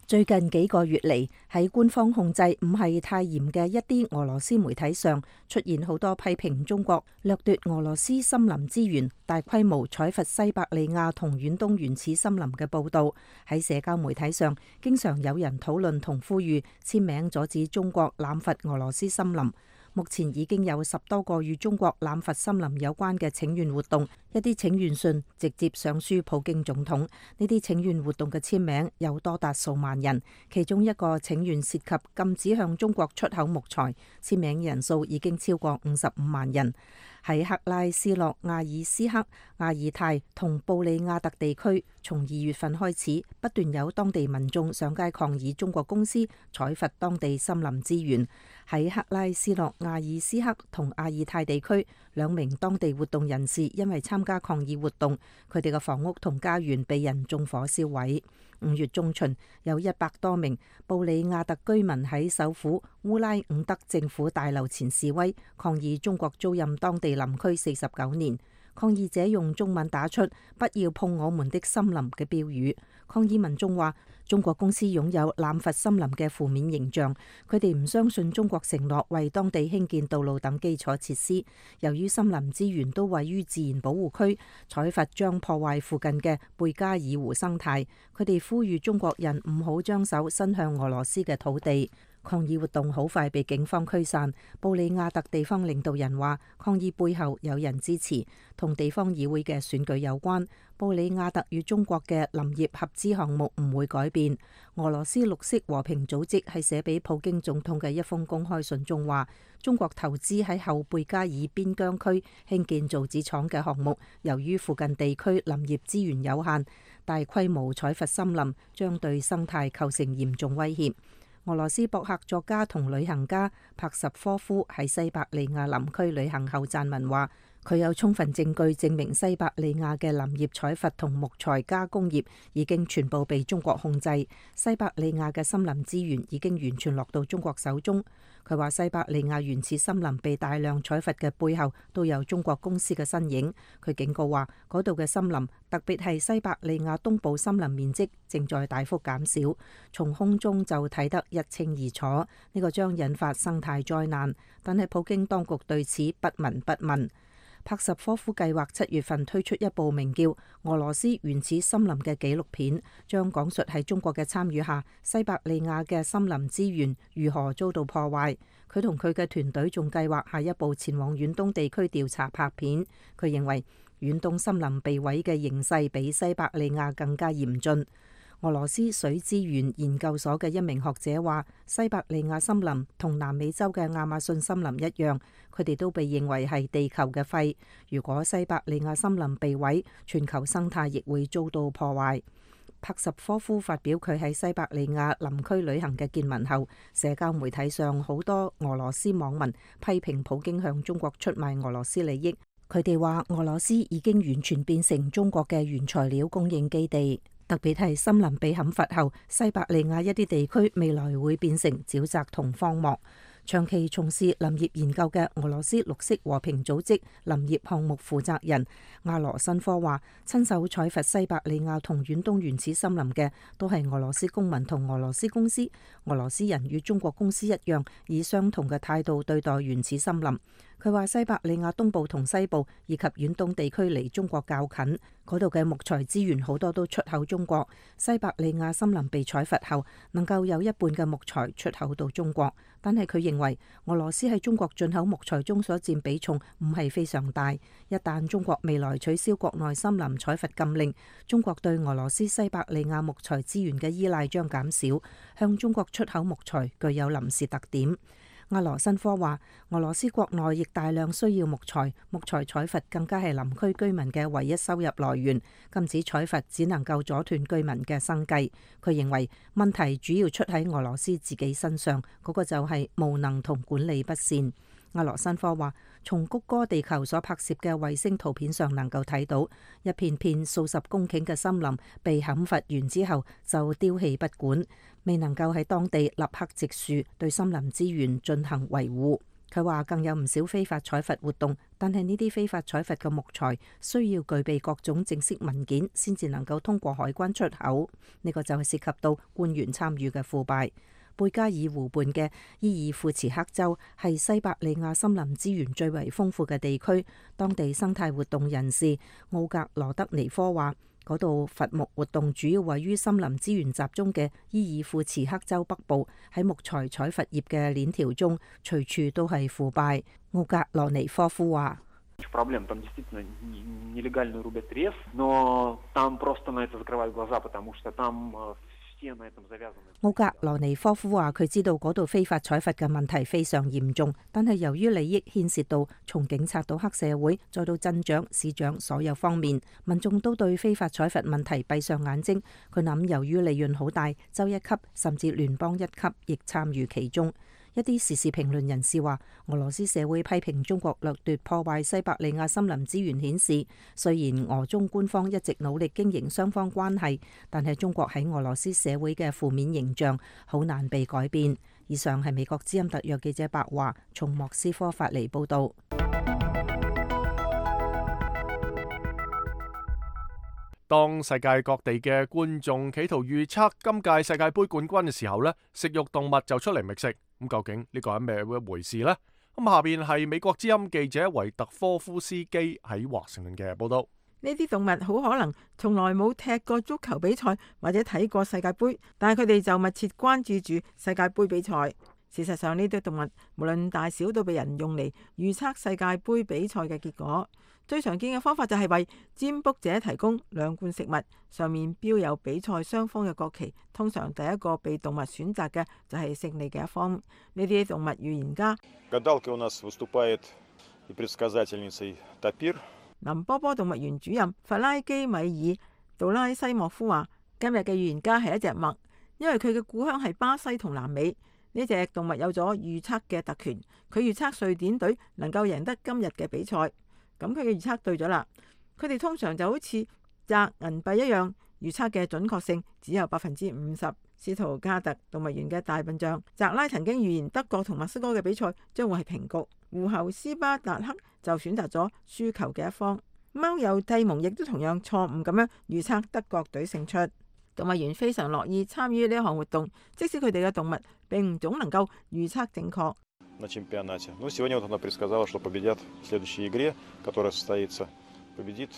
最近幾個月嚟，喺官方控制唔係太嚴嘅一啲俄羅斯媒體上，出現好多批評中國掠奪俄羅斯森林資源、大規模採伐西伯利亞同遠東原始森林嘅報道。喺社交媒體上，經常有人討論同呼籲簽名阻止中國濫伐俄羅斯森林。目前已經有十多個與中國濫伐森林有關嘅請願活動，一啲請願信直接上書普京總統。呢啲請願活動嘅簽名有多達數萬人，其中一個請願涉及禁止向中國出口木材，簽名人數已經超過五十五萬人。喺克拉斯諾亞爾斯克、亞爾泰同布里亞特地區，從二月份開始，不斷有當地民眾上街抗議中國公司採伐當地森林資源。喺克拉斯諾亞爾斯克同亞爾泰地區，兩名當地活動人士因為參加抗議活動，佢哋嘅房屋同家園被人縱火燒毀。五月中旬，有一百多名布里亞特居民喺首府烏拉伍德政府大樓前示威，抗議中國租賃當地林區四十九年。抗議者用中文打出「不要碰我們的森林」嘅標語。抗議民眾話，中國公司擁有濫伐森林嘅負面形象，佢哋唔相信中國承諾為當地興建道路等基礎設施。由於森林資源都位於自然保護區，採伐將破壞附近嘅貝加爾湖生態。佢哋呼籲中國人唔好將手伸向俄羅斯嘅土地。抗議活動好快被警方驅散。布里亞特地方領導人話，抗議背後有人支持，同地方議會嘅選舉有關。布里亞特與中國嘅林業合資項目唔會改變。俄羅斯綠色和平組織係寫俾普京總統嘅一封公開信中話，中國投資喺後貝加爾邊疆區興建造紙廠嘅項目，由於附近地區林業資源有限，大規模採伐森林將對生態構成嚴重威脅。俄羅斯博客作家同旅行家帕什科夫喺西伯利亞林區旅行後撰文話，佢有充分證據證明西伯利亞嘅林業採伐同木材加工業已經全部被中國控制，西伯利亞嘅森林資源已經完全落到中國手中。佢話西伯利亞原始森林被大量採伐嘅背後都有中國公司嘅身影。佢警告話，嗰度嘅森林，特別係西伯利亞東部森林面積正在大幅減少，從空中就睇得一清二楚。呢個將引發生態災難，但係普京當局對此不聞不問。帕什科夫計劃七月份推出一部名叫《俄羅斯原始森林》嘅紀錄片，將講述喺中國嘅參與下，西伯利亞嘅森林資源如何遭到破壞。佢同佢嘅團隊仲計劃下一步前往遠東地區調查拍片。佢認為遠東森林被毀嘅形勢比西伯利亞更加嚴峻。俄羅斯水資源研究所嘅一名學者話，西伯利亞森林同南美洲嘅亞馬遜森林一樣，佢哋都被認為係地球嘅肺。如果西伯利亞森林被毀，全球生態亦會遭到破壞。帕什科夫發表佢喺西伯利亞林區旅行嘅見聞後，社交媒體上好多俄羅斯網民批評普京向中國出賣俄羅斯利益。佢哋話俄羅斯已經完全變成中國嘅原材料供應基地。特別係森林被砍伐後，西伯利亞一啲地區未來會變成沼澤同荒漠。長期從事林業研究嘅俄羅斯綠色和平組織林業項目負責人亞羅申科話，親手採伐西伯利亞同遠東原始森林嘅都係俄羅斯公民同俄羅斯公司。俄羅斯人與中國公司一樣，以相同嘅態度對待原始森林。佢話西伯利亞東部同西部以及遠東地區離中國較近，嗰度嘅木材資源好多都出口中國。西伯利亞森林被採伐後，能夠有一半嘅木材出口到中國，但係佢認為俄羅斯喺中國進口木材中所佔比重唔係非常大。一旦中國未來取消國內森林採伐禁令，中國對俄羅斯西伯利亞木材資源嘅依賴將減少，向中國出口木材具有臨時特點。阿羅申科話，俄羅斯國內亦大量需要木材，木材採伐更加係林區居民嘅唯一收入來源。禁止採伐只能夠阻斷居民嘅生計。佢認為問題主要出喺俄羅斯自己身上，嗰個就係無能同管理不善。阿羅申科話，從谷歌地球所拍攝嘅衛星圖片上能夠睇到，一片片數十公頃嘅森林被砍伐完之後就丟棄不管，未能夠喺當地立刻植樹，對森林資源進行維護。佢話更有唔少非法採伐活動，但係呢啲非法採伐嘅木材需要具備各種正式文件先至能夠通過海關出口，呢個就係涉及到官員參與嘅腐敗。貝加爾湖畔嘅伊爾庫茨克州係西伯利亞森林資源最為豐富嘅地區。當地生態活動人士奧格羅德尼科話，嗰度伐木活動主要位於森林資源集中嘅伊爾庫茨克州北部，喺木材採伐業嘅鏈條中，隨處都係腐敗。奧格羅尼科夫話。奧格羅尼科夫話：佢知道嗰度非法採伐嘅問題非常嚴重，但係由於利益牽涉到從警察到黑社會再到鎮長、市長所有方面，民眾都對非法採伐問題閉上眼睛。佢諗，由於利潤好大，州一級甚至聯邦一級亦參與其中。一啲時事評論人士話，俄羅斯社會批評中國掠奪破壞西伯利亞森林資源，顯示雖然俄中官方一直努力經營雙方關係，但係中國喺俄羅斯社會嘅負面形象好難被改變。以上係美國之音特約記者白華從莫斯科發嚟報導。當世界各地嘅觀眾企圖預測今屆世界盃冠軍嘅時候呢，食肉動物就出嚟覓食。咁究竟呢個係咩一回事呢？咁下邊係美國之音記者維特科夫斯基喺華盛頓嘅報道。呢啲動物好可能從來冇踢過足球比賽或者睇過世界盃，但係佢哋就密切關注住世界盃比賽。事實上，呢啲動物無論大小都被人用嚟預測世界盃比賽嘅結果。最常見嘅方法就係為占卜者提供兩罐食物，上面標有比賽雙方嘅國旗。通常第一個被動物選擇嘅就係勝利嘅一方。呢啲動物預言家林波波動物園主任弗拉基米爾杜拉西莫夫話：今日嘅預言家係一隻墨，因為佢嘅故鄉係巴西同南美。呢隻動物有咗預測嘅特權，佢預測瑞典隊能夠贏得今日嘅比賽。咁佢嘅預測對咗啦。佢哋通常就好似擲銀幣一樣，預測嘅準確性只有百分之五十。斯圖加特動物園嘅大笨象澤拉曾經預言德國同墨西哥嘅比賽將會係平局。狐猴斯巴達克就選擇咗輸球嘅一方。貓友蒂蒙亦都同樣錯誤咁樣預測德國隊勝出。動物園非常樂意參與呢一項活動，即使佢哋嘅動物並唔總能夠預測正確。на чемпионате. Ну, сегодня вот она предсказала, что победят в следующей игре, которая состоится, победит,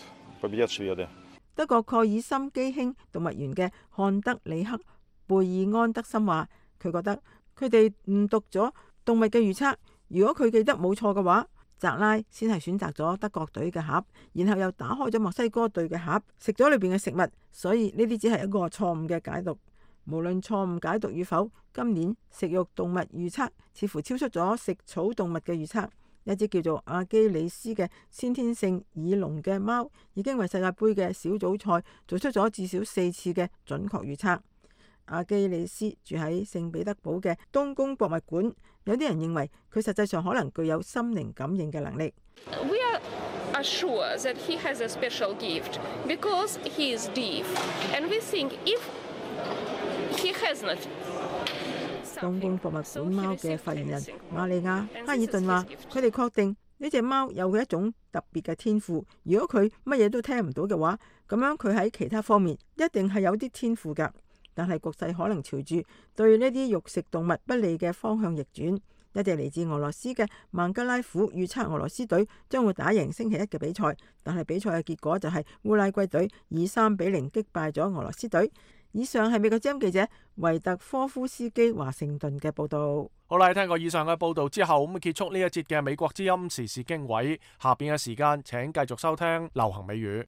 победят шведы. 德國蓋爾森基興動物園嘅漢德里克貝爾安德森話，佢覺得佢哋誤讀咗動物嘅預測。如果佢記得冇錯嘅話，澤拉先係選擇咗德國隊嘅盒，然後又打開咗墨西哥隊嘅盒，食咗裏邊嘅食物。所以呢啲只係一個錯誤嘅解讀。無論錯誤解讀與否，今年食肉動物預測似乎超出咗食草動物嘅預測。一隻叫做阿基里斯嘅先天性耳聾嘅貓，已經為世界盃嘅小組賽做出咗至少四次嘅準確預測。阿基里斯住喺聖彼得堡嘅冬宮博物館，有啲人認為佢實際上可能具有心靈感應嘅能力。We are sure that he has a special gift because he is deaf, and we think if he has not 東京博物館貓嘅發言人瑪利亞哈爾頓話：佢哋確定呢隻貓有佢一種特別嘅天賦。如果佢乜嘢都聽唔到嘅話，咁樣佢喺其他方面一定係有啲天賦㗎。但係局勢可能朝住對呢啲肉食動物不利嘅方向逆轉。一隻嚟自俄羅斯嘅孟加拉虎預測俄羅斯隊將會打贏星期一嘅比賽，但係比賽嘅結果就係烏拉圭隊以三比零擊敗咗俄羅斯隊。以上係美國之音記者維特科夫斯基華盛頓嘅報道。好啦，聽過以上嘅報道之後，咁結束呢一節嘅美國之音時事經緯。下邊嘅時間，請繼續收聽流行美語。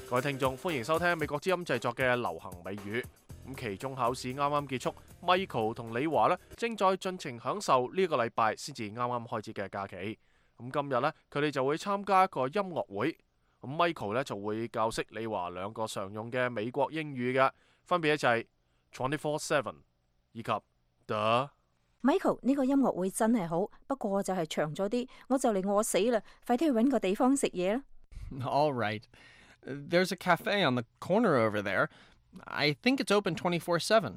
各位聽眾，歡迎收聽美國之音製作嘅流行美語。咁期中考試啱啱結束 ，Michael 同李華呢正在盡情享受呢個禮拜先至啱啱開始嘅假期。咁今日呢，佢哋就會參加一個音樂會。咁 Michael 呢就會教識李華兩個常用嘅美國英語嘅，分別就係 twenty-four seven 以及 the。Michael 呢個音樂會真係好，不過就係長咗啲，我就嚟餓死啦，快啲去搵個地方食嘢啦。All right. There's a cafe on the corner over there. I think it's open twenty-four seven.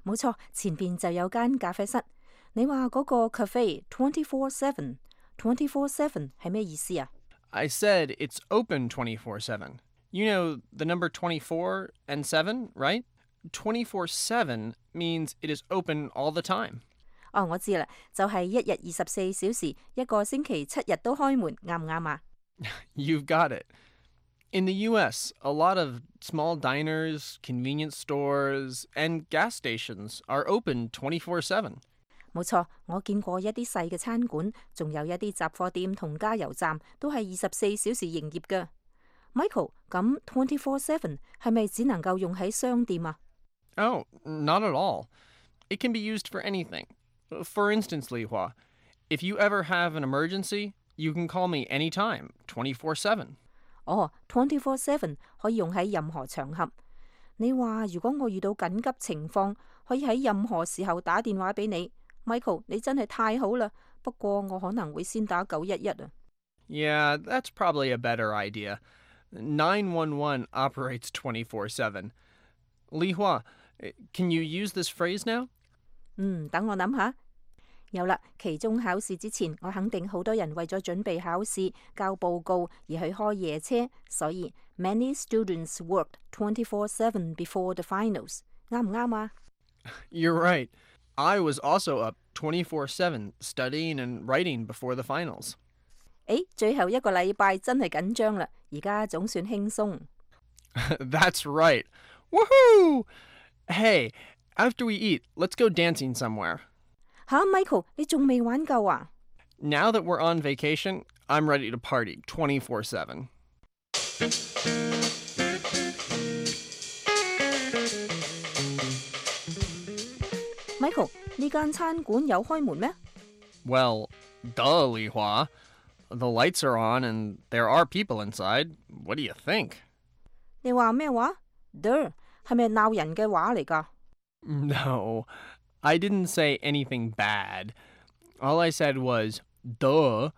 冇錯，前邊就有間咖啡室。你話嗰個 cafe twenty-four seven，twenty-four seven 係咩意思啊？ I said it's open twenty-four seven. You know the number twenty-four and seven, right? twenty-four seven means it is open all the time. 哦，我知啦，就係一日二十四小時，一個星期七日都開門，啱唔啱啊？ You've got it. In the U S, a lot of small diners, convenience stores, and gas stations are open twenty-four seven. 冇錯，我見過一啲細嘅餐館，仲有一啲雜貨店同加油站都係二十四小時營業㗎。Michael，咁 twenty-four seven 係咪只能夠用喺商店啊？ Oh, not at all. It can be used for anything. For instance, Li Hua, if you ever have an emergency, you can call me anytime, twenty-four seven. 哦 ，twenty-four seven 可以用喺任何場合。你話如果我遇到緊急情況，可以喺任何時候打電話俾你。Michael， 你真係太好啦。不過我可能會先打九一一啊。Yeah, that's probably a better idea. nine one one operates twenty-four seven. Li Hua, can you use this phrase now? 嗯，等我諗下。有啦，期中考試之前，我肯定好多人為咗準備考試、交報告而去開夜車，所以 many students worked twenty-four seven before the finals。啱唔啱啊？ You're right. I was also up twenty-four seven studying and writing before the finals. 誒，最後一個禮拜真係緊張啦，而家總算輕鬆。That's right. Woohoo! Hey, after we eat, let's go dancing somewhere. 吓 ，Michael， 你仲未玩夠啊 ？Now that we're on vacation, I'm ready to party twenty-four seven. Michael， 呢間餐館有開門咩 Well, duh, Li Hua. The lights are on and there are people inside. What do you think? 你話咩話 ？Duh， 係咪鬧人嘅話嚟㗎 No, I didn't say anything bad. All I said was duh,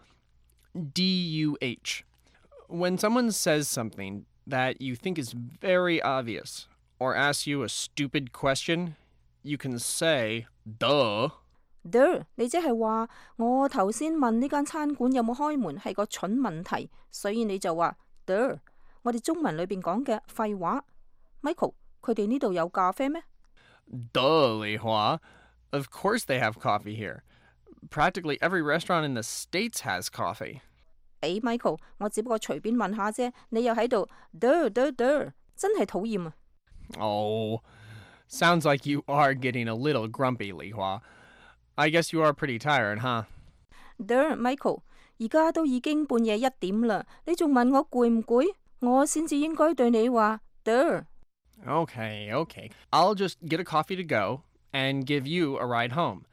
D U H. When someone says something that you think is very obvious or asks you a stupid question, you can say duh. Duh， 你即係話我頭先問呢間餐館有冇開門係個蠢問題，所以你就話 Duh。我哋中文裏邊講嘅廢話。Michael， 佢哋呢度有咖啡咩 Duh, Li Hua. Of course they have coffee here. Practically every restaurant in the States has coffee. 誒 ，Michael， 我只不過隨便問下啫，你又喺度 Duh Duh Duh， 真係討厭啊 Oh, sounds like you are getting a little grumpy, Li Hua. I guess you are pretty tired, huh? Duh, Michael， 而家都已經半夜一點啦，你仲問我攰唔攰？我先至應該對你話 Duh。 Okay, okay. I'll just get a coffee to go and give you a ride home.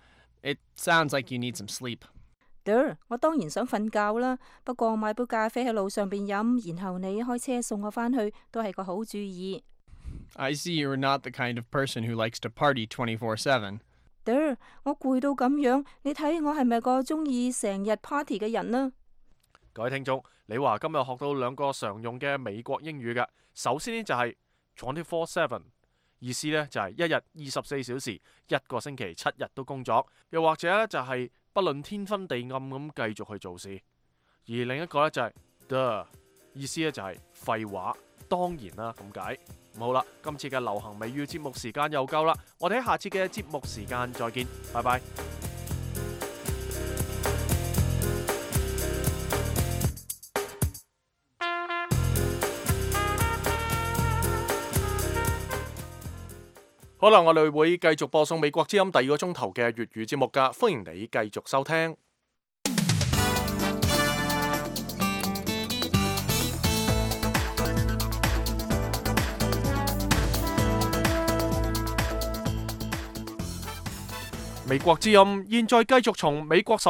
It sounds like you need some sleep. Duh， 我當然想瞓覺啦，不過買杯咖啡喺路上邊飲，然後你開車送我返去，都係個好主意。I see you're not the kind of person who likes to party twenty-four seven. Duh， 我攰到咁樣，你睇我係咪個中意成日 party 嘅人呢？各位聽眾，你話今日學到兩個常用嘅美國英語嘅，首先呢就係 twenty four seven， 意思呢就係一日二十四小時，一個星期七日都工作，又或者呢就係不論天昏地暗咁繼續去做事。而另一個呢就係 the， 意思呢就係廢話，當然啦咁解。好啦，今次嘅流行美語節目時間又夠啦，我哋喺下次嘅節目時間再見，拜拜。好啦，我哋會繼續播送美國之音第二個鐘頭嘅粵語節目㗎，歡迎你繼續收聽。美國之音現在繼續從美國首